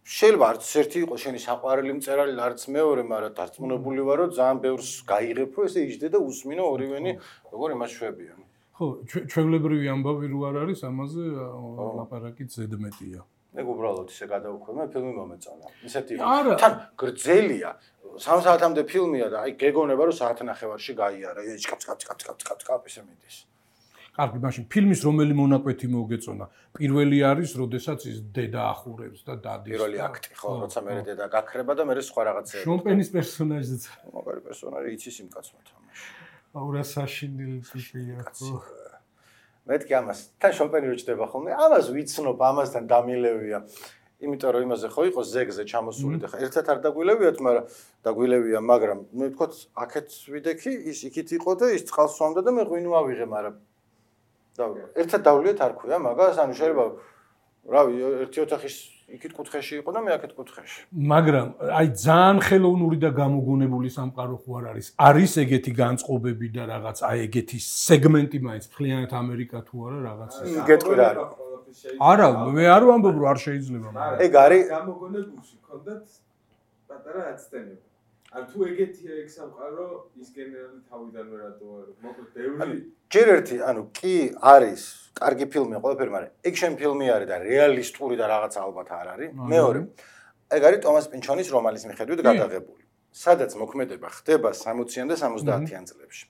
შეიძლება არც ერთი იყოს შენი საყვარელი მწერალი, არც მეორე, მაგრამ დარწმუნებული ვარ, რომ ძალიან ბევრს გაიღებ, რომ ესე იჯდე და უსმინო ორივენი, როგორ იმას შვებიან. ხო, ჩვეულებრივი ამბავი რო არ არის, ამაზე ლაპარაკიც ზედმეტია. მე უბრალოდ ისე გადავუხვე, მე ფილმი მომეწონა. ისეთი არა. თან გრძელია. 3 საათამდე ფილმია და აი გეგონება რომ საათნახევარში გაიარა. კაპ ისე მიდის. კარგი, მაშინ 필მის რომელი მონაკვეთი მოგეწონა? პირველი არის, როდესაც ის დედა ახურებს და დადის. პირველი აქტი, ხო, როცა მე დედა გაქრება და მე სხვა რაღაცეები. შონპენის პერსონაჟიც. მაგარი პერსონაჟი იცის იმ კაცმა თამაში. აურა საშინელი ტიპია, ხო. მეთქი ამას, თან შონპენი რო ჩდება ხოლმე, ამას ვიცნობ, ამასთან დამილევია. იმიტომ რომ იმაზე ხო იყო ზეგზე ჩამოსული და ხა ერთად არ დაგვილევიათ, მაგრამ დაგვილევია, მაგრამ მე ვთქვათ, აქეთ ვიდექი, ის იქით იყო და ის წყალს სვამდა და მე ღვინო ავიღე, მაგრამ ერთად დავლიეთ არ ქვია მაგას, ანუ შეიძლება რავი, ერთი ოთახის იქით კუთხეში იყო და მე აქეთ კუთხეში. მაგრამ აი ძალიან ხელოვნური და გამოგონებული სამყარო ხო არ არის? არის ეგეთი განწყობები და რაღაც აი ეგეთი სეგმენტი მაინც მთლიანად ამერიკა თუ არა რაღაც ის. გეტყვი რა არის? არა, მე არ ვამბობ რომ არ შეიძლება. ეგ არის გამოგონებულში ქონდათ პატარა აცდენები. ან თუ ეგეთია ეგ სამყარო, ის გენერალი თავიდანვე რატო არ მოკლედ ბევრი ჯერ ერთი, ანუ კი არის კარგი ფილმია ყველაფერი, მაგრამ ექშენ ფილმი არის და რეალისტური და რაღაც ალბათ არ არის. მეორე, ეგ არის ტომას პინჩონის რომანის მიხედვით გადაღებული. სადაც მოქმედება ხდება 60-იან და 70-იან წლებში.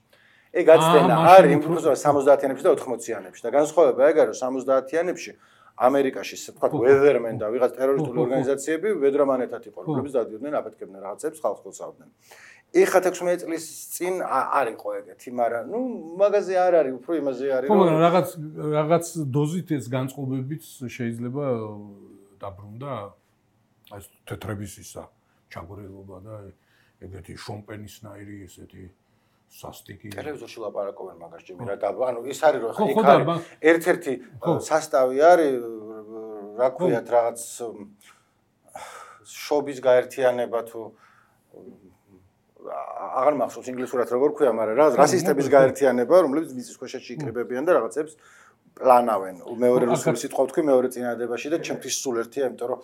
ეგ აცდენა არის იმ ფუძო 70-იანებში და 80-იანებში და განსხვავება ეგ არის 70-იანებში ამერიკაში თქვა ვეზერმენ და ვიღაც ტერორისტული ორგანიზაციები ვედრომანეთად იყო, რომლებიც დადიოდნენ, აფეთქებდნენ რაღაცებს, ხალხს ხოცავდნენ. ეხლა 16 წლის წინ არ იყო ეგეთი, მაგრამ ნუ მაგაზე არ არის, უფრო იმაზე არის, რომ რაღაც დოზით ეს განწყობებიც შეიძლება დაბრუნდა აი თეთრების ისა ჩაგორელობა და ეგეთი შონპენისნაირი ესეთი სასტიკი ტელევიზორში ლაპარაკობენ მაგას ჯერ რა და ანუ ის არის რომ ხა ერთ-ერთი სასტავი არის რა ქვიათ რაღაც შობის გაერთიანება თუ აღარ მახსოვს ინგლისურად როგორ ქვია, მაგრამ რა რასისტების გაერთიანება, რომლებიც მიწისქვეშეთში იკრიბებიან და რაღაცებს პლანავენ. მეორე რუსული სიტყვა ვთქვი მეორე წინადადებაში და ჩემთვის სულ ერთია, იმიტომ რომ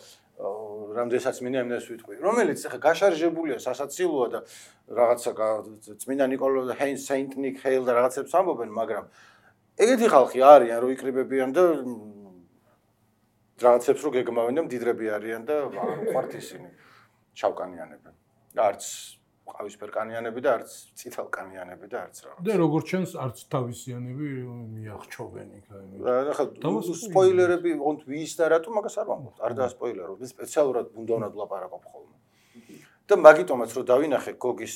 რამდენსაც მინდა იმას ვიტყვი. რომელიც ახლა გაშარჟებულია, სასაცილოა და რაღაცა წმინდა ნიკოლო და სეინტ ნიკ ჰეილ და რაღაცებს ამბობენ, მაგრამ ეგეთი ხალხი არიან, რომ იკრიბებიან და რაღაცებს რო გეგმავენ და მდიდრები არიან და არ უყვართ ისინი ჩავკანიანებენ. არც ყავისფერკანიანები და არც წითელკანიანები და არც რაღაც. და როგორც ჩანს, არც თავისიანები მიახჩობენ იქ. ახლა სპოილერები, ოღონდ ვის და რატო მაგას არ ვამბობ. არ დაასპოილერო, მე სპეციალურად უნდა ვლაპარაკობ ხოლმე. და მაგიტომაც რომ დავინახე გოგის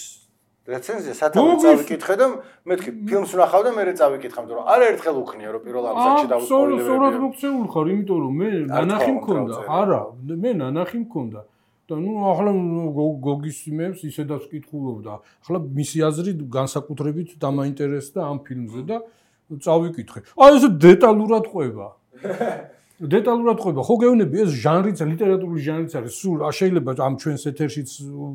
რეცენზია, სათავე წავიკითხე და მეთქი ფილმს ვნახავ და მე წავიკითხე, იმიტომ რომ არაერთხელ უქნია რომ პირველ ამბავში დავსპოილერები. სწორად მოქცეულ ხარ, იმიტომ რომ მე ნანახი მქონდა. არა, მე ნანახი მქონდა. და ნუ ახლა გოგის იმებს ისედაც ვკითხულობდა. ახლა მისი აზრი განსაკუთრებით დამაინტერესდა ამ ფილმზე და წავიკითხე. აი ესე დეტალურად ყვება. დეტალურად ყვება. ხო გეუბნები ეს ჟანრიც, ლიტერატურული ჟანრიც არის. სულ შეიძლება ამ ჩვენს ეთერშიც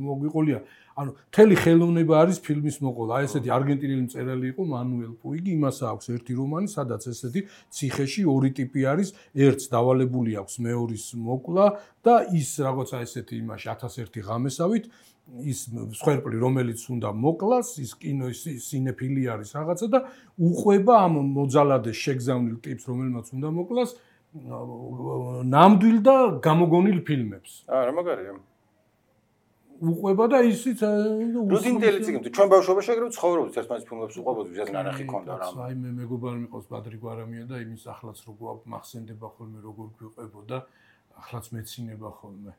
მოგვიყოლია. ანუ მთელი ხელოვნება არის ფილმის მოყოლა. აი ესეთი არგენტინელი მწერალი იყო მანუელ პუიგი, იმას აქვს ერთი რომანი, სადაც ესეთი ციხეში ორი ტიპი არის, ერთს დავალებული აქვს მეორის მოკვლა და ის რაღაცა ესეთი იმაში 1001 ღამესავით ის მსხვერპლი რომელიც უნდა მოკლას, ის კინოს სინეფილი არის რაღაცა და უყვება ამ მოძალადეს შეგზავნილ ტიპს, რომელმაც უნდა მოკლას ნამდვილ და გამოგონილ ფილმებს. რა მაგარია. უყვება და ისიც რუდინდელი წიგნი ჩვენ ბავშვობაში ეგრევე ცხოვრობდით ერთმანეთის ფილმებს უყვებოდით ვიზას ნანახი ქონდა რა. აი მე მეგობარი მიყავს ბადრი გვარამია და იმის ახლაც როგორ მახსენდება ხოლმე როგორ გვიყვებოდა ახლაც მეცინება ხოლმე.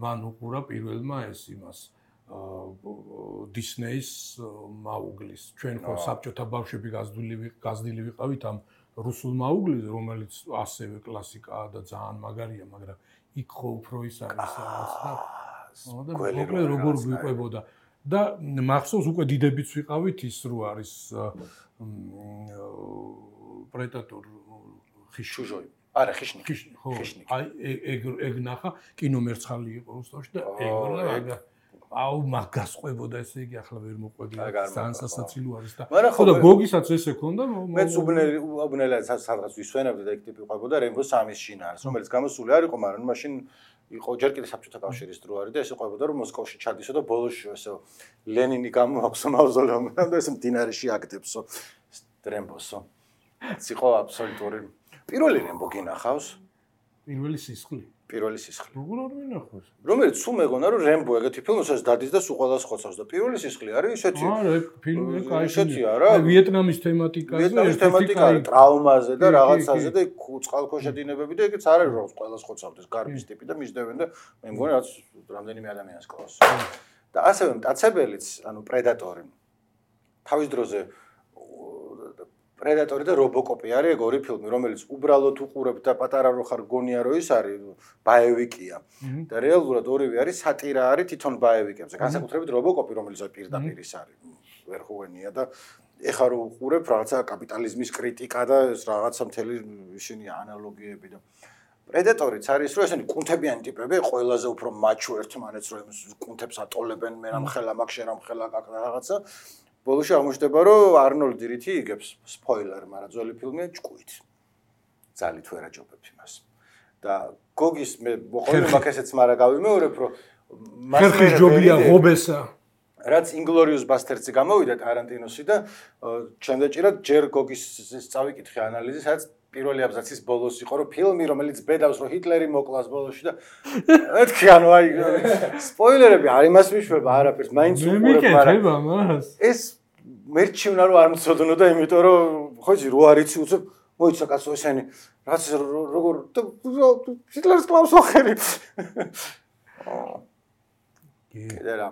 მან უყურა პირველმა ეს იმას დისნეის მაუგლის. ჩვენ ხო საბჭოთა ბავშვები გაზრდილი ვიყავით ამ რუსულ მაუგლის, რომელიც ასევე კლასიკაა და ძალიან მაგარია, მაგრამ იქ ხო უფრო ის არის რაღაც და მოკლედ როგორ გვიყვებოდა და მახსოვს უკვე დიდებიც ვიყავით ის რო არის პრედატორ ხიშუჟოი არა ხიშნიკი ხო აი ეგ ნახა კინომერცხალი იყო რუსთავში და ეგ აუ მაგას ყვებოდა ესე იგი ახლა ვერ მოყვებია ძალიან სასაცილო არის და ხო და გოგისაც ესე ქონდა მეც უბნელად სადღაც ვისვენებდი და ეგ ტიპი ყვებოდა რემბო 3-ის შინაარს რომელიც გამოსული არ იყო მაგრამ მაშინ იყო ჯერ კიდე საბჭოთა კავშირის დრო არის და ესე ყვებოდა რომ მოსკოვში ჩადისო და ბოლოში ესე ლენინი გამოაქვსო მავზოლეუმიდან და ესე მდინარეში აკდებსო რემბოსო ის იყო აბსოლუტური პირველი რემბო გინახავს პირველი სისხლი. პირველი სისხლი. როგორ არ მინახავს? რომელიც სულ მეგონა რომ რემბო ეგეთი ფილმი სადაც დადის და სულ ყველას ხოცავს და პირველი სისხლი არის ისეთი. არა, ეგ ფილმი კაი. ისეთია რა. აი ვიეტნამის თემატიკაზე, ვიეტნამის თემატიკა არის ტრავმაზე და რაღაცაზე და წყალქვეშა დინებები და ეგეც არ არის რომ ყველას ხოცავდეს გარბის ტიპი და მისდევენ და მე მგონი რაც რამდენიმე ადამიანს კლავს. და ასევე მტაცებელიც, ანუ პრედატორი. თავის დროზე პრედატორი და რობოკოპი არის ეგ ორი ფილმი, რომელიც უბრალოდ უყურებ და პატარა რო ხარ გონია რომ ის არის ბაევიკია. და რეალურად ორივე არის სატირა არის თვითონ ბაევიკებზე. განსაკუთრებით რობოკოპი, რომელიც პირდაპირ ის არის ვერხუენია და ეხლა რო უყურებ რაღაცა კაპიტალიზმის კრიტიკა და ეს რაღაცა მთელი ისინი ანალოგიები და პრედატორიც არის რომ ესენი კუნთებიანი ტიპები, ყველაზე უფრო მაჩო ერთმანეთს რომ კუნთებს ატოლებენ, მე რამ ხელა მაგ შე რამ ხელა კაკ რაღაცა. ბოლოში აღმოჩნდება რომ არნოლდი რითი იგებს სპოილერი, მაგრამ ძველი ფილმია ჭკუით. ძალით ვერ აჯობებ იმას. და გოგის მე მოყოლე მაგ ესეც მარა გავიმეორებ რომ ხერხის ჯობია ღობესა. რაც ინგლორიუს ბასტერდსი გამოვიდა ტარანტინოსი და ჩემ დაჭირა ჯერ გოგის წავიკითხე ანალიზი, სადაც პირველი აბზაცის ბოლოს იყო რომ ფილმი რომელიც ბედავს რომ ჰიტლერი მოკლას ბოლოში და მეთქი ანუ აი სპოილერები არ იმას მიშვება არაფერს მაინც უყურებ მაგრამ ეს მერჩივნა რომ არ მწოდნო და იმიტომ რომ ხო იცი რო არიცი უცებ მოიცა კაცო ესენი რაც როგორ ჰიტლერს კლავს ოხერი კიდე რა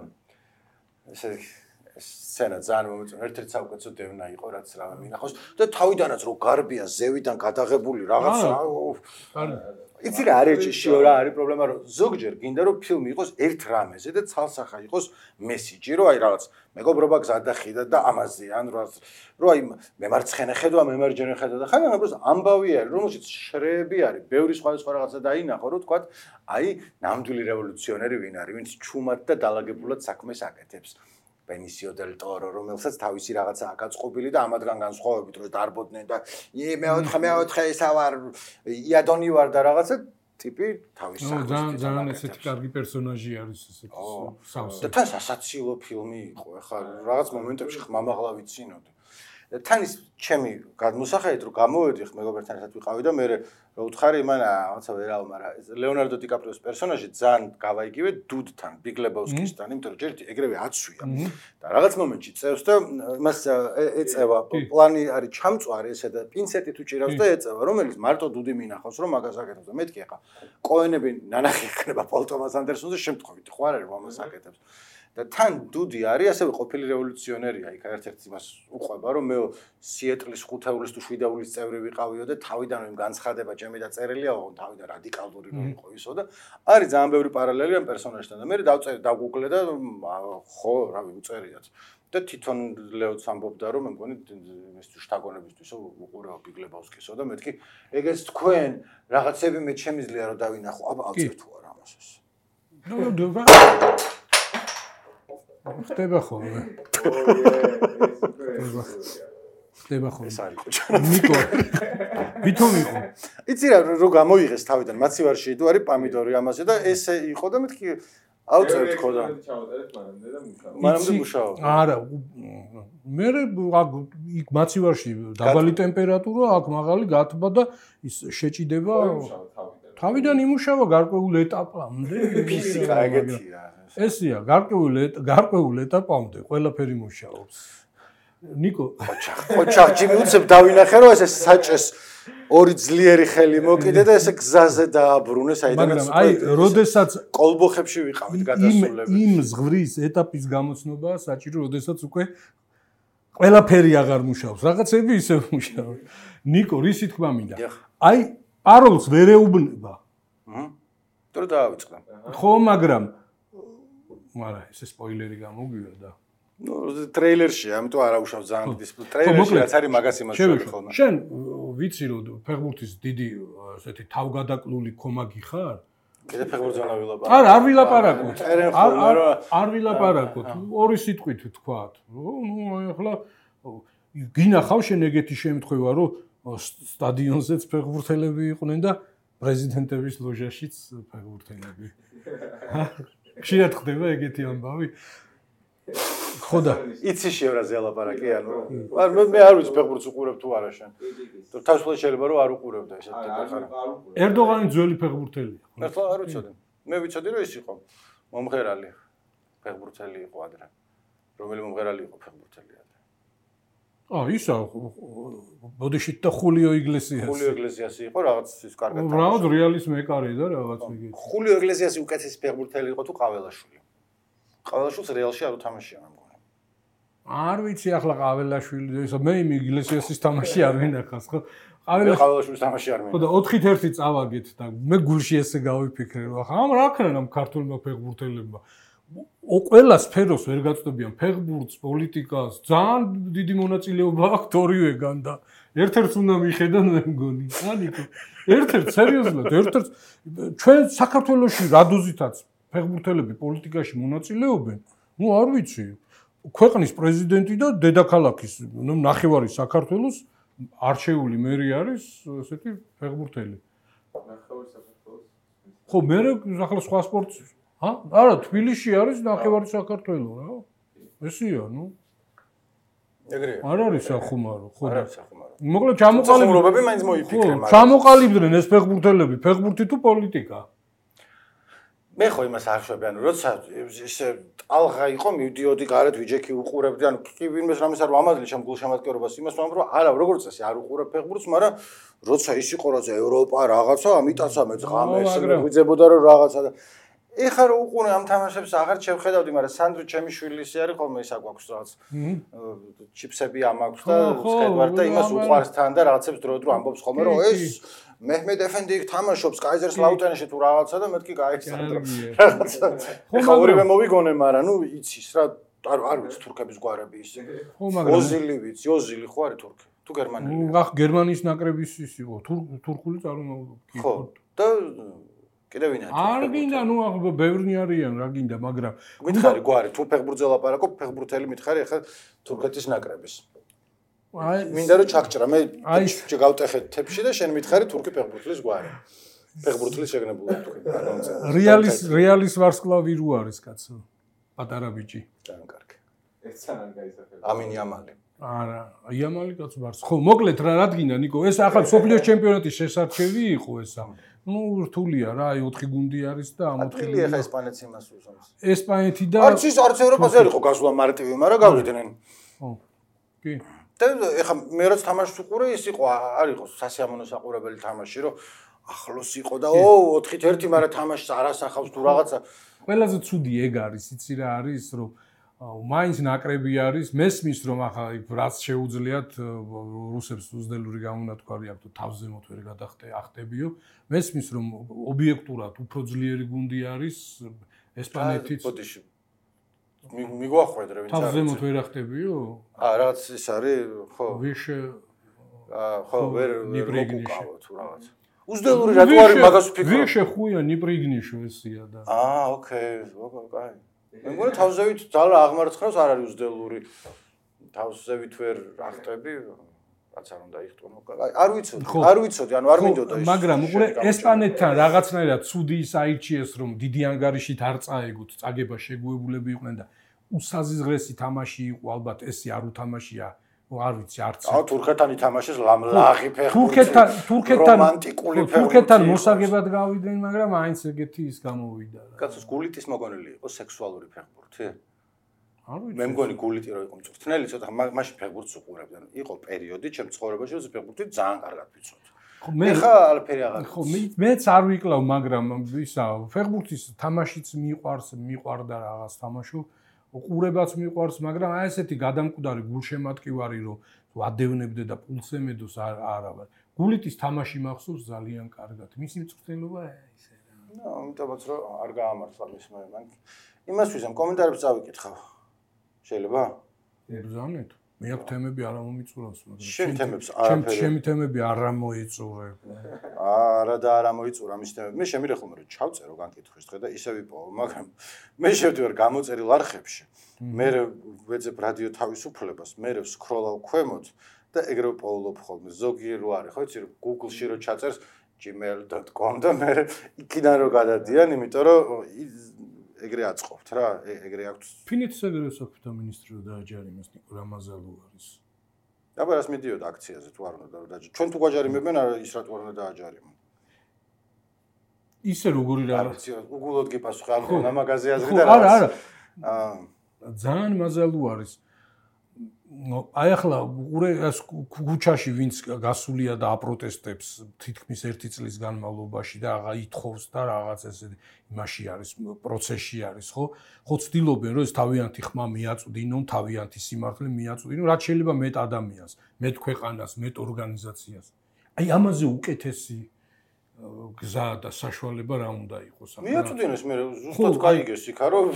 ესე სცენა ძალიან მომეწონა ერთ-ერთი საუკეთესო დევნა იყო რაც რა მინახავს და თავიდანაც რო გარბია ზევიდან გადაღებული რაღაცა იცი რა არის შიო რა არის პრობლემა რომ ზოგჯერ გინდა რომ ფილმი იყოს ერთ რამეზე და ცალსახა იყოს მესიჯი რომ აი რაღაც მეგობრობა გზადახიდა და ამაზე ან რომ აი მემარცხენე ხედვა მემარჯვენე ხედვა და ხან უბრალოდ ამბავი არის რომელშიც შრეები არის ბევრი სხვა რაღაცა დაინახო რომ თქვა აი ნამდვილი რევოლუციონერი ვინ არის ვინც ჩუმად და დალაგებულად საქმეს აკეთებს Benicio del Toro, რომელსაც თავისი რაღაცა აკაწყობილი და ამათგან განსხვავებით რომ დარბოდნენ და მეოთხე ისა ვარ იადონი ვარ და რაღაცა ტიპი თავის საქმეს ძალიან ესეთი კარგი პერსონაჟი არის ესეთი სავსე და თან სასაცილო ფილმი იყო ეხლა რაღაც მომენტებში ხმამაღლა ვიცინოდი თან ის ჩემი გადმოსახედით რომ გამოვედი მეგობრებთან ერთად ვიყავი და მე რა უთხარი იმან რაღაცა ვერავ მაგრამ ლეონარდო დიკაპრიოს პერსონაჟი ძალიან გავაიგივე დუდთან ბიგ ლებოვსკისთან იმიტომ რომ ჯერ ეგრევე აცვია და რაღაც მომენტში წევს და იმას ეწევა პლანი არის ჩამწვარი ესე და პინცეტით უჭირავს და ეწევა რომელიც მარტო დუდი მინახავს რომ მაგას აკეთებს და მეთქი ახლა კოენები ნანახი ექნება პოლ ტომას ანდერსონზე შემთხვევით ხო არ არის რომ ამას აკეთებს და თან დუდი არის ასევე ყოფილი რევოლუციონერია იქ ერთ-ერთი იმას უყვება რომ მე სიეტლის 5-ეულის თუ 7-ეულის წევრი ვიყავიო და თავიდან იმ განცხადება ჩემი დაწერილია ოღონდ თავიდან რადიკალური რომ იყო ისო და არის ძალიან ბევრი პარალელი ამ პერსონაჟთან და მე დაგუგლე და ხო რავი უწერიათ და თვითონ ლეოც ამბობდა რომ მე მგონი ეს შტაგონებისთვის უყურებ ბიგ ლებოვსკისო და მეთქი ეგეც თქვენ რაღაცები მე შემიძლია რომ დავინახო აბა აწერ თუ არა ამას ხდება ხოლმე. ხდება ხოლმე. ეს არის ხო. ნიკო. ვითომ იყო? იცი რა რო გამოიღეს თავიდან მაცივარში თუ არის პამიდორი ამაზე და ესე იყო და მეთქი აუწერთ ხო და მანამდე მუშაობ. არა მე იქ მაცივარში დაბალი ტემპერატურა აქ მაღალი გათბა და ის შეჭიდება თავიდან იმუშავა გარკვეულ ეტაპამდე ფიზიკა ეგეთია ესია გარკვეულ ეტაპამდე ყველაფერი მუშაობს ნიკო ოჩახი მიუცებ დავინახე რომ ეს საჭეს ორი ძლიერი ხელი მოკიდე და ესე გზაზე დააბრუნე საიდანაც აი როდესაც კოლბოხებში ვიყავით გადასულები იმ ზღვრის ეტაპის გამოცნობაა საჭირო როდესაც უკვე ყველაფერი აღარ მუშაობს რაღაცები ისე მუშაობს ნიკო რისი თქმა მინდა აი პაროლს ვერ ეუბნება თუ დაავიწყდა ხო მაგრამ ესე სპოილერი გამოგვივა და ნუ ტრეილერში ამიტომ არ აუშავ ძალიან დიდი ტრეილერში რაც არის მაგას იმას შევი ხოლმე შენ ვიცი რომ ფეხბურთის დიდი ესეთი თავგადაკლული კომაგი ხარ კიდე ფეხბურთზე ვილაპარაკო არა არ ვილაპარაკოთ არ ვილაპარაკოთ ორი სიტყვით ვთქვათ ნუ ახლა გინახავ შენ ეგეთი შემთხვევა რომ სტადიონზეც ფეხბურთელები იყვნენ და პრეზიდენტების ლოჟაშიც ფეხბურთელები ხშირად ხდება ეგეთი ამბავი ხო და იცი შევრაზე ალაპარაკი ანუ მე არ ვიცი ფეხბურთს უყურებ თუ არა შენ თავისუფლად შეიძლება რომ არ უყურებდა ესეთ ტიპი ხარ ერდოღანი ძველი ფეხბურთელია მართლა არ ვიცოდი მე ვიცოდი რომ ის იყო მომღერალი ფეხბურთელი იყო ადრე რომელი მომღერალი იყო ფეხბურთელი ადრე ისა ბოდიშით და ხულიო იგლესიასი იყო რაღაც ის კარგად რაღაც რეალის მეკარე და რაღაც იგი ხულიო იგლესიასი უკეთესი ფეხბურთელი იყო თუ ყაველაშვილი ყაველაშვილს რეალში არ უთამაშია მე მგონი არ ვიცი ახლა ყაველაშვილი ისა მე იმ იგლესიასის თამაში არ ვინახავს ხო ყაველაშვილის თამაში არ ხო და 4-1 წავაგეთ და მე გულში ესე გავიფიქრე რომ ახლა ამ რა ქნა ამ ქართულმა ფეხბურთელებმა ყველა სფეროს ვერ გაწვდებიან ფეხბურთს, პოლიტიკას, ძალიან დიდი მონაწილეობა აქვს ორივეგან და ერთ-ერთს უნდა მიხედან მე მგონი. ანიკო, ერთ-ერთ სერიოზულად, ერთ-ერთ ჩვენ საქართველოში რადოზითაც ფეხბურთელები პოლიტიკაში მონაწილეობენ, ნუ არ ვიცი. ქვეყნის პრეზიდენტი და დედაქალაქის, ნუ ნახევარი საქართველოს არჩეული მერი არის ესეთი ფეხბურთელი. ნახევარი საქართველოს. ხო, მე ახლა სხვა სპორტს არა, თბილისში არის ნახევარი საქართველო რა. ესია, ნუ. ეგრეა. არ არის სახუმარო, ხო. არ არის სახუმარო. მოკლედ ჩამოყალიბდნენ, მაინც მოიფიქრე, მაგრამ ჩამოყალიბდნენ ეს ფეხბურთელები, ფეხბურთი თუ პოლიტიკა. მე ხო იმას არ ხვდები, ანუ როცა ესე ტალღა იყო, მივდიოდი გარეთ ვიჯექი უყურებდი, ანუ კი ვინმეს რამეს არ ვამადლი ჩემ გულშემატკივრობას იმას ვამბობ, რომ არა, როგორც წესი არ უყურებ ფეხბურთს, მაგრამ როცა ის იყო რა ევროპა რაღაცა, ამიტაცა მე ღამე ესე ვიძებოდა რომ რაღაცა და ეხლა რო უყურე ამ თამაშებს აღარ შევხედავდი, მაგრამ სანდრო ჩემი შვილი ისე არის ხოლმე ისა გვაქვს რაღაც ჩიპსები ამაქვს და სკედვარ და იმას უყარს თან და რაღაცებს დრო ამბობს ხოლმე რომ ეს მეჰმედ ეფენდი იქ თამაშობს კაიზერსლაუტენში თუ რაღაცა და მეთქი გაიცანდრო რაღაცა ეხლა ორივე მოვიგონე, მაგრამ ნუ იცის რა არ ვიცი თურქების გვარები ის ოზილი ვიცი, ოზილი ხო არის თურქი თუ გერმანელი ახ გერმანიის ნაკრების ის იყო თურქული წარმომავლობა ხო და კიდევ ვინ არის? არ გინდა, ნუ ახლა ბევრი არიან, რა გინდა, მაგრამ მითხარი გვარი, თუ ფეხბურთზე ლაპარაკობ, ფეხბურთელი მითხარი ახლა თურქეთის ნაკრების. აი, მინდა რომ ჩაგჭრა, მე გავტეხეთ თებში და შენ მითხარი თურქი ფეხბურთლის გვარი. ფეხბურთლის შეგნებული თქვი. რეალის ვარსკვლავი რო არის კაცო. პატარა ბიჭი. ძალიან კარგი. ეს ძალიან გაიზარდა. ამინი ამალი. არა, იამალი კაც ვარს. ხო, მოკლედ რა გინდა, ნიკო, ეს ახლა სოფლიოს ჩემპიონატის შესარჩევი იყო ესა. ნუ რთულია რა, აი 4 გუნდი არის და ამ 4 გუნდი ახლა ესპანეთს იმას უსვამს. ესპანეთი და არც ევროპაზე არ იყო გასვლა მარტივი, მაგრამ გავიდნენ. ხო. კი. და ახლა მე რაც თამაშს უყურე, ის იყო, არ იყო სასიამოვნო საყურებელი თამაში, რომ ახლოს იყო და 4-1, მაგრამ თამაშს არ ასახავს თუ რაღაცა. ყველაზე ცუდი ეგ არის, იცი რა არის, რომ მაინც ნაკრები არის, მესმის რომ ახლა რაც შეუძლიათ რუსებს უზდელური გამონათქვარი აქვს თუ თავზე მოთ ვერ ახტებიო, მესმის რომ ობიექტურად უფრო ძლიერი გუნდი არის ესპანეთიც. ბოდიში. მიგვახვედრე ვინც არის. თავზე მოთ ვერ ახტებიო? რაღაც ის არის, ხო. ხო, ვერ ნიბრიგნიშო თუ რაღაც. უზდელური რატო არის მაგას ვფიქრობ? ვიშე ხუია ნიბრიგნიშო ესია და. ოკეი, კაი. მე მგონი თავზევით ძალა აღმარცხნავს არ არის უზდელური. თავზევით ვერ ახტები, რაც არ უნდა იხტუნო. არ ვიცოდი, ანუ არ მინდოდა ის. მაგრამ უყურე ესპანეთთან რაღაცნაირად ცუდი ის აირჩიეს, რომ დიდი ანგარიშით არ წაეგოთ, წაგება შეგუებულები იყვნენ და უსაზღრესი თამაში იყო, ალბათ ესე არ უთამაშია. არ ვიცი, არც. თურქეთთან ითამაშეს ლაღი ფეხბურთი. თურქეთთან მოსაგებად გავიდნენ, მაგრამ აინც ეგეთი ის გამოვიდა. კაცო, გულიტის მოგონილი იყო სექსუალური ფეხბურთი? არ ვიცი. მე მგონი გულიტი რო იყო მწვრთნელი, ცოტა მაშინ ფეხბურთს უყურებდნენ. იყო პერიოდი ჩემ ცხოვრებაში, რომ ფეხბურთი ძალიან კარგად ვიცოდი. მე ხა ალფერი აღარ. ხო, მეც არ ვიკლავ, მაგრამ ისა ფეხბურთის თამაშიც მიყვარდა რაღაც თამაშო. უყურებაც მიყვარს, მაგრამ აი ესეთი გადამკვდარი გულშემატკივარი რომ ვადევნებდე და პულს ემედოს არა. გულიტის თამაში მახსოვს ძალიან კარგად. მისი მწვრთნელობა ისე რა. ნუ, ამიტომაც რომ არ გაამართლა მის მან. იმას ვიზამ კომენტარებს წავიკითხავ. შეიძლება? ბრძანეთ. მე აქ თემები არ მომიწურავს, მაგრამ შენ თემებს არაფერი. ჩემი თემები არ მოიწურე. არა და არ მოიწურა მის თემები. მე შემირე ხოლმე რომ ჩავწერო განკითხვის დღე და ისე ვიპოვო, მაგრამ მე შევდივარ გამოწერილ არხებში. მე ვეძებ რადიო თავისუფლებას, მე ვსკროლავ ქვემოთ და ეგრევე პოულობ ხოლმე. ზოგი რო არის, ხო იცი, Google-ში რო ჩაწერს gmail.com და მე იქიდან რო გადადიან, იმიტომ რომ ეგრე აწყობთ რა, ეგრე აქვს. ფინეთის საგარეო მინისტრი რო დააჯარიმეს ნიკო რამაზალუ არის. აბა რას მიდიოდა აქციაზე თუ არ უნდა დააჯარიმონ. ჩვენ თუ გვაჯარიმებენ ის რატო არ უნდა დააჯარიმონ. ისე როგორი რა უგულოდ გიპასუხე ამ მაგაზე აზრი და არა რა. ძალიან მაზალუ არის. აი ახლა უყურე ეს ქუჩაში ვინც გასულია და აპროტესტებს თითქმის 1 წლის განმავლობაში და აღა ითხოვს და რაღაც ესე იმაში არის პროცესში არის ხო ცდილობენ რომ ეს თავიანთი ხმა მიაწვდინონ თავიანთი სიმართლე მიაწვდინონ რაც შეიძლება მეტ ადამიანს მეტ ქვეყანას მეტ ორგანიზაციას აი ამაზე უკეთესი გზა და საშუალება რა უნდა იყოს ახლა მიაწვდინოს მე ზუსტად გაიგეს იქა რომ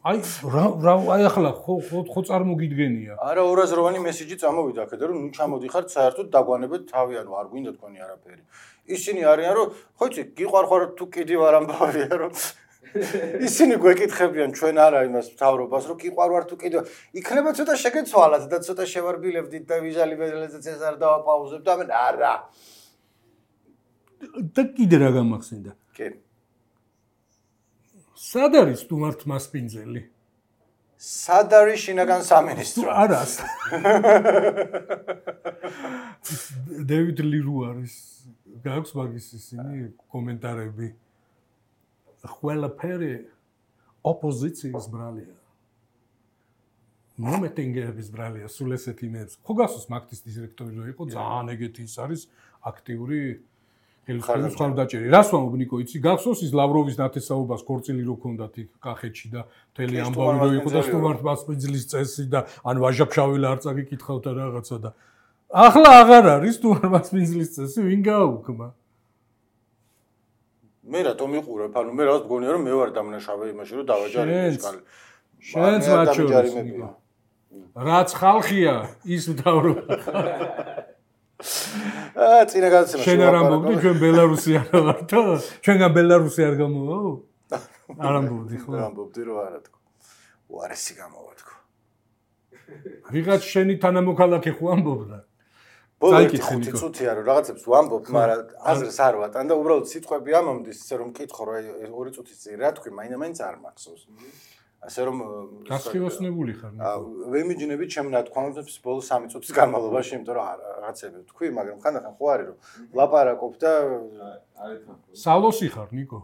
აი ახლა ხო წარმოგიდგენია არა 208-ი მესიჯი წამოვიდა აქედან რომ ნუ ჩამოდიხართ საერთოდ დაგვანებეთ თავი ანუ არ გვინდა თქვენი არაფერი ისინი არიან რომ ხო იცი გიყვარხარ თუ კიდე ვარ ამბავია რომ ისინი გვეკითხებიან ჩვენ არა იმას მთავრობას რომ გიყვარვარ თუ კიდე იქნება ცოტა შეგეცვალათ და ცოტა შევარბილებდით და ვიზუალიზაციას არ დავაპაუზებთ ამენ არა და კიდე რა გამახსენდა? კი. სად არის სტუმართ მასპინძელი? სად არის შინაგან სამინისტრო? არა. დევიდ ლირუ არის. გაქვს მაგის ისინი კომენტარები. ყველაფერი ოპოზიციის ბრალია. მომეტინგეების ბრალია სულ ესეთი იმებს. ხო გასოს მაგთის დირექტორი რო იყო ძალიან ეგეთი ის არის აქტიური ხელისუფლების მხარდაჭერი. რას ვამბობ ნიკო, იცი, გახსოვს ის ლავროვის ნათესაობას ქორწილი რო ქონდათ იქ კახეთში და მთელი ამბავი რო იყო და სტუმართ მასპინძლის წესი და ან ვაჟაფშაველა არ წაგიკითხავდა რაღაცა და ახლა აღარ არის სტუმართ მასპინძლის წესი, ვინ გააუქმა? მე რატომ მიყურებ? ანუ მე რაღაც მგონია რომ მე ვარ დამნაშავე იმაში რომ დავაჯარებ ეს კალი. შენც მაჩვენებს. რაც ხალხია, ის მთავრობა. წინა გადაცემაში შენ არ ამბობდი ჩვენ ბელარუსი არ ვართო? ჩვენგან ბელარუსი არ გამოვაო? არ ამბობდი ხო? ამბობდი რომ არა თქო. უარესი გამოვა თქო. ვიღაც შენი თანამოქალაქე ხო ამბობდა? ბოლოს 5 წუთია რომ რაღაცებს ვამბობ, მაგრამ აზრს არ ვატან და უბრალოდ სიტყვები ამომდის, ისე რომ მკითხო რა 2 წუთის წინ რა თქვი, მაინც არ მახსოვს. ასე რომ გასხივოსნებული ხარ ნიკო. ვემიჯნებით ჩემ ნათქვამებს ბოლოს 3 წუთის განმავლობაში, იმიტომ რომ რაღაცები თქვი, მაგრამ ხანდახან ხო არის რომ ლაპარაკობ და სალოსი ხარ ნიკო.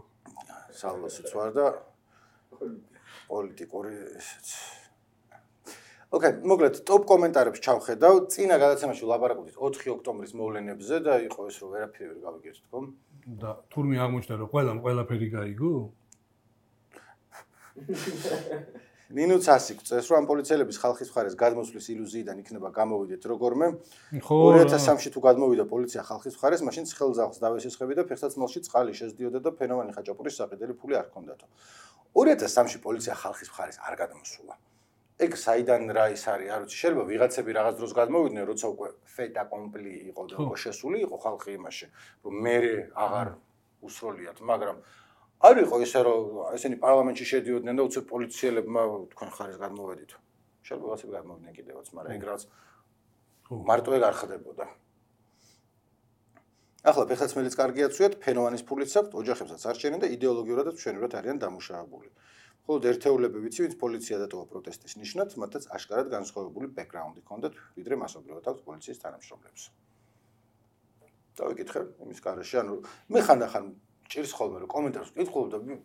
სალოსიც ვარ და პოლიტიკური ესეც. ოკეი, მოკლედ ტოპ კომენტარებს ჩავხედავ. წინა გადაცემაში ვლაპარაკობდით 4 ოქტომბრის მოვლენებზე და იყო ეს რომ ვერაფერი ვერ გავიგეთ თქო. და თურმე აღმოჩნდა რომ ყველაფერი გაიგო? ნინუც ასი გვწეს რომ ამ პოლიციელების ხალხის მხარეს გადმოსვლის ილუზიიდან იქნება გამოვიდეთ როგორმე 2003-ში თუ გადმოვიდა პოლიცია ხალხის მხარეს მაშინ ცხელძაღლს დავესესხები და ფეხსაცმელში წყალი შეძდიოდა და ფენოვანი ხაჭაპურის საყიდელი ფული არ ჰქონდათო 2003-ში პოლიცია ხალხის მხარეს არ გადმოსულა ეგ საიდან რა ის არის არ ვიცი შეიძლება ვიღაცები რაღაც დროს გადმოვიდნენ როცა უკვე ფეტა კომპლი იყო და უკვე შესული იყო ხალხი იმაში რომ მე აღარ უსროლიათ მაგრამ არ იყო ისე რომ ესენი პარლამენტში შედიოდნენ და უცებ პოლიციელებმა თქვენ ხარეს გადმოვედით. შეიძლება ვიღაცები გადმოვიდნენ კიდევაც, მაგრამ ეგ რაც მარტო ეგ არ ხდებოდა. ახლა ფეხსაცმელიც კარგია ცუიათ, ფენოვანის ფულიც აქვს, ოჯახებსაც არ შენენ და იდეოლოგიურადაც მშვენივრად არიან დამუშავებული. ხოლო ერთეულები ვიცი, ვინც პოლიცია დატოვა პროტესტის ნიშნად, მათაც აშკარად განსხვავებული ბექგრაუნდი ჰქონდათ, ვიდრე მასობრივად აქვს პოლიციის თანამშრომლებს. დავიკითხე იმის კარაში, ანუ მე ხანდახან ჭირს ხოლმე რომ კომენტარს ვკითხულობ და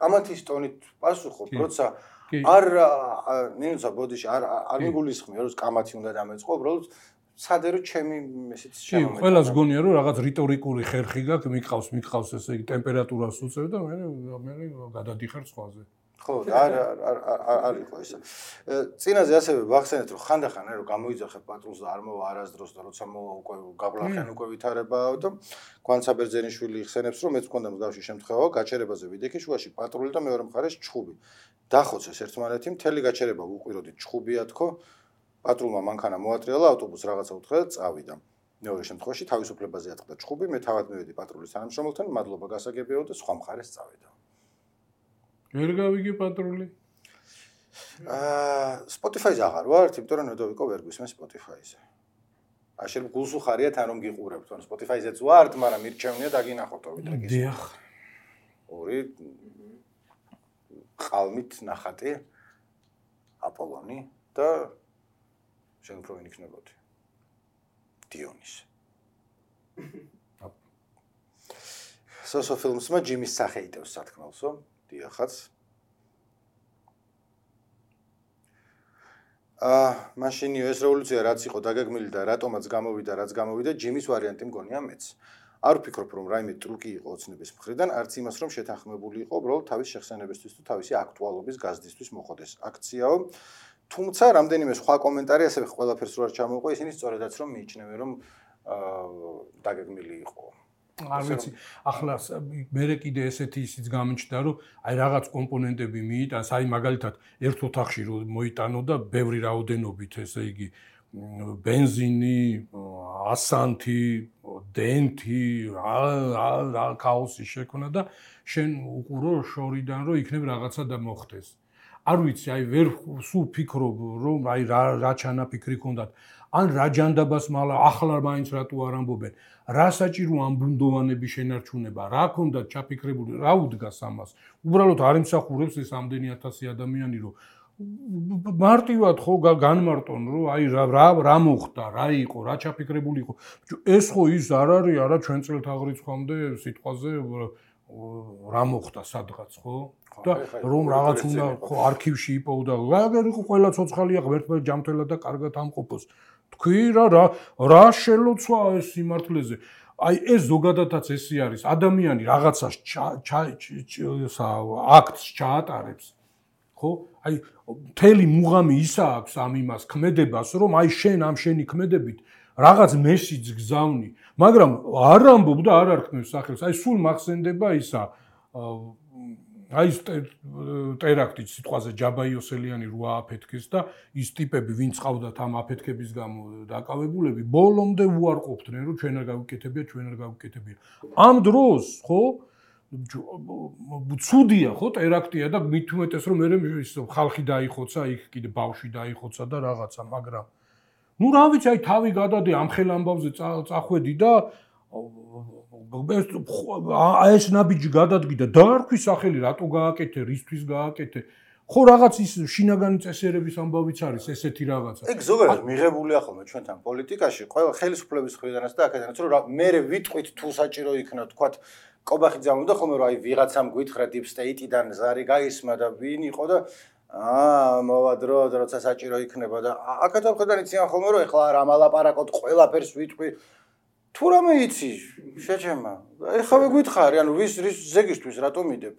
ამათის ტონით პასუხობ, როცა არ ნინუცა ბოდიში არ მიგულისხმია რომ კამათი უნდა დამეწყო, უბრალოდ სადე რომ ჩემი ესეც შემომეწონა. ყველას გონია რომ რაღაც რიტორიკული ხერხი გაქვს, მიყავს ესე იგი ტემპერატურას უწევ და მე გადადიხარ სხვაზე. ხო, არ იყო ესა. წინაზე ასევე ვახსენეთ რომ ხანდახან რომ გამოიძახებ პატრულს და არ მოვა არასდროს და როცა მოვა უკვე გაბლახიან უკვე ვითარებაო და გვანცაბერძენიშვილი იხსენებს რომ მეც მქონდა მსგავსი შემთხვევა გაჩერებაზე ვიდექი შუაში პატრული და მეორე მხარეს ჩხუბი. დახოცეს ერთმანეთი მთელი გაჩერება უყვიროდით ჩხუბია თქო პატრულმა მანქანა მოატრიალა ავტობუსს რაღაცა უთხრა და წავიდა. მეორე შემთხვევაში თავისუფლებაზე ატყდა ჩხუბი მე თავად მივედი პატრულის თანამშრომელთან მადლობა გასაგებიაო და სხვა მხარეს წავიდა. ვერ გავიგე პატრული? Spotify-ზე აღარ ვარ, იმიტომ რომ ნედო ვიყო ვერ გვისმენ Spotify-ზე. შეიძლება გულს უხარიათ ან რომ გიყურებთ, ან Spotify-ზეც ვართ, მაგრამ მირჩევნია დაგინახოთ ვიდრე. დიახ. ორი ყალმით ნახატი აპოლონი და შენ უფრო ვინ იქნებოდი? დიონისი. სოსო ფილმსმა ჯიმის სახე იტევს სათქმელსო, დიახაც. მაშინიო ეს რევოლუცია რაც იყო დაგეგმილი და რატომაც გამოვიდა, რაც გამოვიდა, ჯიმის ვარიანტი მგონია მეც. არ ვფიქრობ, რომ რაიმე ტრუკი იყო ოცნების მხრიდან, არც იმას, რომ შეთანხმებული იყო უბრალოდ თავის შეხსენებისთვის თუ თავისი აქტუალობის გაზრდისთვის მოხდეს აქციაო. თუმცა რამდენიმე სხვა კომენტარი ასევე ყველაფერს რო არ ჩამოვყო, ისინი სწორედაც რომ მიიჩნევენ, რომ დაგეგმილი იყო. არ ვიცი, ახლა მე კიდე ესეთი ისიც გამიჩნდა, რომ აი რაღაც კომპონენტები მიიტანს, აი მაგალითად ერთ ოთახში რო მოიტანო და ბევრი რაოდენობით, ესე იგი ბენზინი, ასანთი, დენტი, რა ქაოსი შექმნა და შენ უყურო შორიდან რომ იქნებ რაღაცა და მოხდეს. არ ვიცი, აი ვერ სულ ფიქრობ, რომ აი რა ჩანაფიქრი ქონდათ, ან რა ჯანდაბას მალა ახლა მაინც რატო არ ამბობენ, რა საჭირო ამ ბუნდოვანების შენარჩუნება, რა ქონდათ ჩაფიქრებული, რა უდგას ამას. უბრალოდ არ იმსახურებს ეს ამდენი 1000 ადამიანი, რომ მარტივად ხო განმარტონ, რომ აი რა მოხდა, რა იყო, რა ჩაფიქრებული იყო. ეს ხო ის არ არის, არა ჩვენ წელთაღრიცხვამდე სიტყვაზე რა მოხდა სადღაც, ხო? და რომ რაღაც უნდა ხო არქივში იპოვდა. რა იყო ყველა ცოცხალია ღმერთმა ჯამთველა და კარგად ამყოფოს. თქვი რა შელოცვა ეს სიმართლეზე. აი ეს ზოგადადაც ესე არის. ადამიანი რაღაცას აქტს ჩაატარებს. ხო? აი მთელი მუღამი ისა აქვს ამ იმას ქმედებას, რომ აი შენ ამ შენი ქმედებით რაღაც მესიჯს გზავნი, მაგრამ არ ამბობ და არ არქმევ სახელს. აი სულ მახსენდება ისა აი ტერაქტი სიტყვაზე ჯაბაიოსელიანი რო ააფეთქეს და ის ტიპები ვინც ყავდათ ამ აფეთქების გამო დაკავებულები ბოლომდე უარყოფდნენ რომ ჩვენ არ გავიკეთებია ამ დროს ხო ცუდია ხო ტერაქტია და მით უმეტეს რომ მე ხალხი დაიხოცა იქ კიდე ბავშვი დაიხოცა და რაღაცა მაგრამ ნუ რა ვიცი აი თავი გადადე ამ ხელ ამბავზე წახვედი და ეს ნაბიჯი გადადგიდა და არ ქვის სახელი რატო გააკეთე რისთვის გააკეთე ხო რაღაც ის შინაგანი წესერების ამბავიც არის ესეთი რაღაცა ეგ ზოგადად მიღებულია ხოლმე ჩვენთან პოლიტიკაში ყველა ხელისუფლების მხრიდანაც და აქედანაც რომ მე ვიტყვით თუ საჭირო იქნა თქვა კობახიძე ამბობდა ხოლმე რომ აი ვიღაცამ გვითხრა deep state-დან ზარი გაისმა და ვინ იყო და მოვადრო როცა საჭირო იქნება და აქედან ხედან იციან ხოლმე რომ ეხლა არ ამალაპარაკოთ ყველაფერს ვიტყვი თუ რამე იცი შეჩემა ეხლა გითხარი ანუ ვის ზეგისთვის რატო მიდებ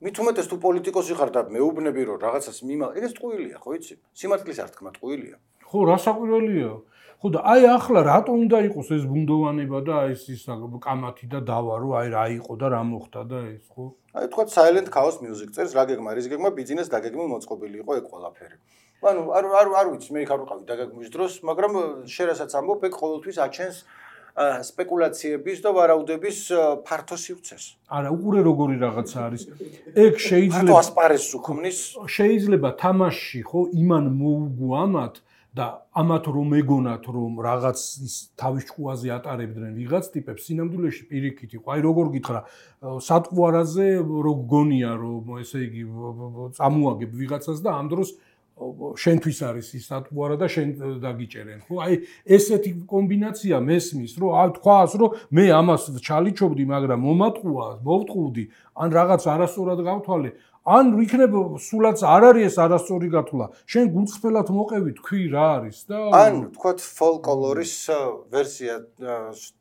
მით უმეტეს თუ პოლიტიკოსი ხარ და მეუბნები რომ რაღაცას მიმალ ეს ტყუილია ხო იცი სიმართლის არ თქმა ტყუილია ხო რა საკვირველია ხო და აი ახლა რატო უნდა იყოს ეს ბუნდოვანება და ეს კამათი და დავა რომ აი რა იყო და რა მოხდა და ეს ხო აი თქვა silent chaos music წერს რა გეგმა რის გეგმა ბიზნეს დაგეგმილ მოწყობილი იყო ეგ ყველაფერი ანუ არ ვიცი მე იქ არ ვიყავი დაგეგმვის დროს მაგრამ შერასაც ამბობ ეგ ყოველთვის აჩენს სპეკულაციების და ვარაუდების ფართო სივრცეს. არა, უყურე როგორი რაღაცა არის. ეგ შეიძლება ასპარეზს უქმნის. შეიძლება თამაში ხო იმან მოუგვამათ და ამათ რომ ეგონათ რომ რაღაც ის თავის ჭკუაზე ატარებდნენ ვიღაც ტიპებს სინამდვილეში პირიქით იყო. აი როგორ გითხრა, სატყვარაზე რო გგონია რომ ესე იგი წამოაგებ ვიღაცას და ამ დროს შენთვის არის ის სატყვარა და შენ დაგიჭერენ ხო აი ესეთი კომბინაცია მესმის რომ აი თქვას რომ მე ამას ჩალიჩობდი მაგრამ მომატყუა მოვტყუდი ან რაღაც არასწორად გავთვალე ან იქნებ სულაც არ არის ეს არასწორი გათვლა შენ გულწრფელად მოყევი თქვი რა არის და ან თქვათ ფოლკლორის ვერსია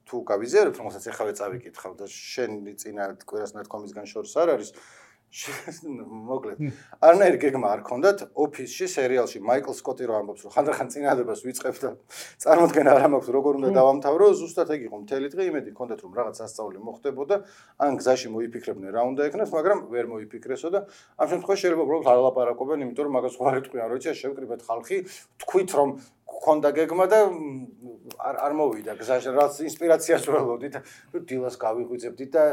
თუ გავიზიარებ რომელსაც ეხავე წავიკითხავ და შენი წინა კვირას ნათქვამისგან შორს არ არის მოკლედ არნაირი გეგმა არ ქონდათ ოფისში სერიალში მაიკლ სკოტი რო ამბობს რომ ხანდახან წინადებას ვიწყებ და წარმოდგენა არ მაქვს როგორ უნდა დავამთავრო ზუსტად ეგ იყო მთელი დღე იმედი ქონდათ რომ რაღაც ასწავლი მოხდებოდა ან გზაში მოიფიქრებდნენ რა უნდა ეკნას მაგრამ ვერ მოიფიქრესო და ამ შემთხვევაში შეიძლება უბრალოდ არ ლაპარაკობენ იმიტომ რომ მაგას ხوار იტყვიან რომ იცი შევკრიბეთ ხალხი თქვით რომ ქონდა გეგმა და არ მოვიდა გზაში რაც ინსპირაციას ველოდით დილას გავიღვიძებდით და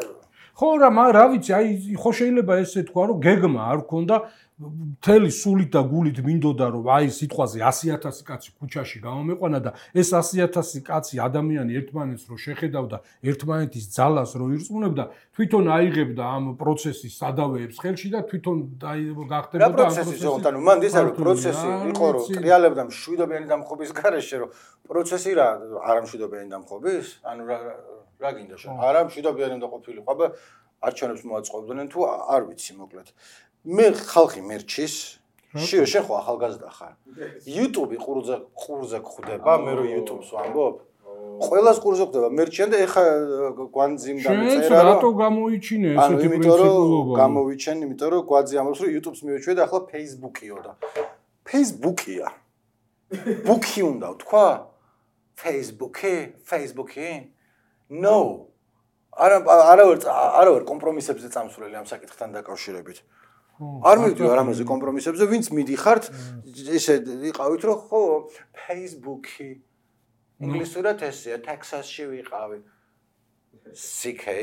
ხო რა ვიცი აი ხო შეიძლება ესე თქვა რომ გეგმა არ ქონდა მთელი სულით და გულით მინდოდა რომ აი სიტყვაზე 100,000 კაცი ქუჩაში გამომეყვანა და ეს 100,000 კაცი ადამიანი ერთმანეთს რო შეხედავდა ერთმანეთის ძალას რო ირწმუნებდა თვითონ აიღებდა ამ პროცესის სადავეებს ხელში და თვითონ გახდებოდა ამ პროცესის ანუ მან ის არის პროცესი იყო რომ ტრიალებდა მშვიდობიანი დამხობის გარეშე რომ პროცესი რა არ მშვიდობიანი დამხობის ანუ რა გინდა შენ არა მშვიდობიანი უნდა ყოფილიყო აბა არჩევნებს მოაწყობდნენ თუ არ ვიცი მოკლედ მე ხალხი მერჩის შენ ხო ახალგაზრდა ხარ YouTube-ი ყურზე გხვდება მე რო YouTube-ს ვამბობ ყველას ყურზე გხვდება მერჩიან და ეხა გვანძიმ დამეწერა რომ რატო გამოიჩინე ესეთი პრინციპულობა გამოვიჩენ იმიტომ რომ გვაძი ამბობს რომ YouTube-ს მივეჩვე და ახლა Facebook-იო და Facebook-ია ბუქი უნდა თქვა Facebook-ი No არავარ კომპრომისებზე წამსვლელი ამ საკითხთან დაკავშირებით არ მივდივარ რამაზე კომპრომისებზე ვინც მიდიხართ ესე იყავით რომ ხო Facebook-ი ინგლისურად ესეა ტექსასში ვიყავი CK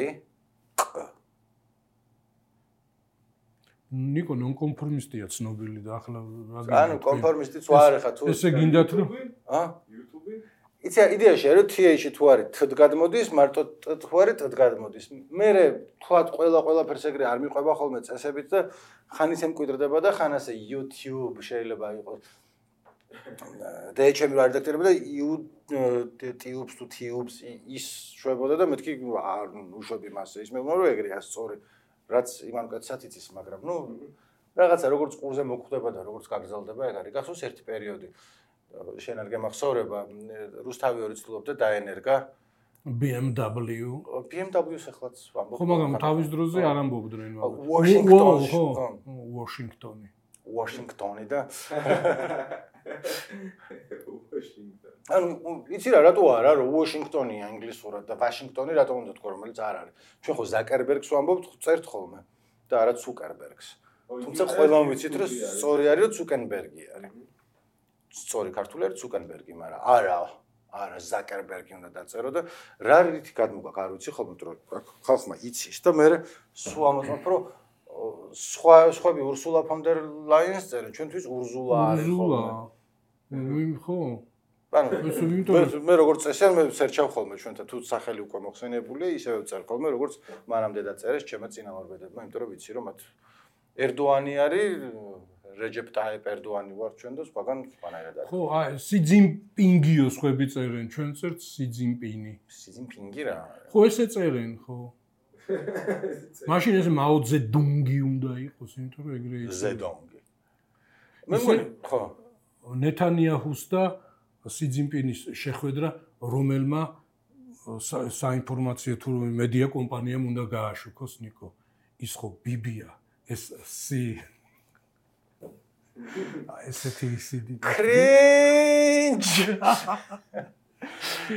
ნიკო ნონკონფორმისტია ცნობილი და ახლა ანუ კონფორმისტიც ვარ ხა თუ ესე გინდათ რომ YouTube-ი იცი იდეაში რომ TH-ი თუ არის T-ად გადმოდის, მარტო T თუ არის T-ად გადმოდის. მე თქვათ ყველაფერს ეგრე არ მიყვება ხოლმე წესებით და ხან ისე მკვიდრდება და ხან ასე YouTube შეიძლება იყოს. DH-ი რა რედაქტორები და YouTube-ს თუ Tubes ის შვებოდა და მეთქი არ უშვები მასე. ის მე ვუნა რომ ეგრეა სწორი. რაც იმან კაცსაც იცის, მაგრამ ნუ რაღაცა როგორც ყურზე მოხვდება და როგორც გაგზავნება ეგ არის. გახსოვს ერთი პერიოდი შენ არ გემახსოვრება რუსთავი ორი ცდილობდა დაენერგა BMW-ს ახლაც ვამბობ ხო მაგრამ თავის დროზე არ ამბობდნენ Washington-ი და ანუ იცი რა რატო არა რომ Washington-ია ინგლისურად და Washington-ი რატომ უნდა თქვა რომელიც არ არის ჩვენ ხო Zuckerberg-ს ვამბობთ წერთ ხოლმე და არა Zuckerberg-ს თუმცა ყველამ ვიცით რომ სწორი არის რომ Zuckerberg-ი არის სწორი ქართული არის Zuckerberg-ი, მაგრამ არა Zuckerberg-ი უნდა დაწერო და რა რითი გადმოგაკ არ ვიცი ხოლმე რომ ხალხმა იცის და მე სულ ამოწმობ რომ სხვები Ursula von der Leyen-ს წერენ, ჩვენთვის Ursula არის ხოლმე. ხო. ანუ მე როგორც წესია მე სერჩავ ხოლმე ჩვენთან თუ სახელი უკვე მოხსენებულია, ისევე ვწერ ხოლმე როგორც მანამდე დაწერეს ჩემმა წინამორბედებმა, იმიტომ რომ ვიცი რომ მათ ერდოანი არის რეჯეპ ტაიპ ერდოანი ვარ ჩვენ და სხვაგან სხვანაირად არის. ხო, აი, სი ძინპინგიო სხვები წერენ, ჩვენ წერთ სი ძინპინი. სი ძინპინგი რა? ხო, ესე წერენ, ხო. მაშინ ეს მაო ზედუნგი უნდა იყოს, იმიტომ რომ ეგრე ის ზედუნგი. მე მგონი, ხო. ნეთანიაჰუს და სი ძინპინის შეხვედრა, რომელმა საინფორმაციო თუ მედია კომპანიამ უნდა გააშუქოს ნიკო. ის ხო ბიბია, ეს სი ესეთი ისიდი კრინჯ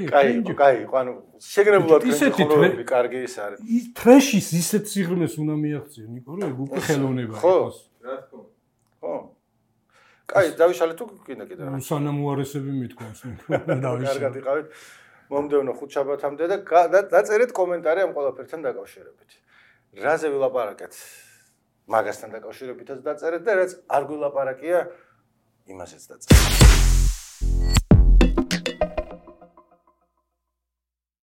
კაი, ანუ შეგნებულად კრინჯი კარგი ის არის. ის ტრეშის ისეთ სიღრმეს უნდა მიაღწიო, ნიკო, რომ ეგ უკვე ხელოვნება იყოს. ხო. კაი, დავიშალე თუ კიდე. სანამ უარესები მithქვამს, დავიშალე. კარგად იყავით. მომდევნო ხუთშაბათამდე და დაწერეთ კომენტარი ამ ყველაფერთან დაკავშირებით. რაზე ვილაპარაკეთ? მაგასთან დაკავშირებითაც დაწერეთ და რაც არ გვილაპარაკია, იმასაც დაწერეთ.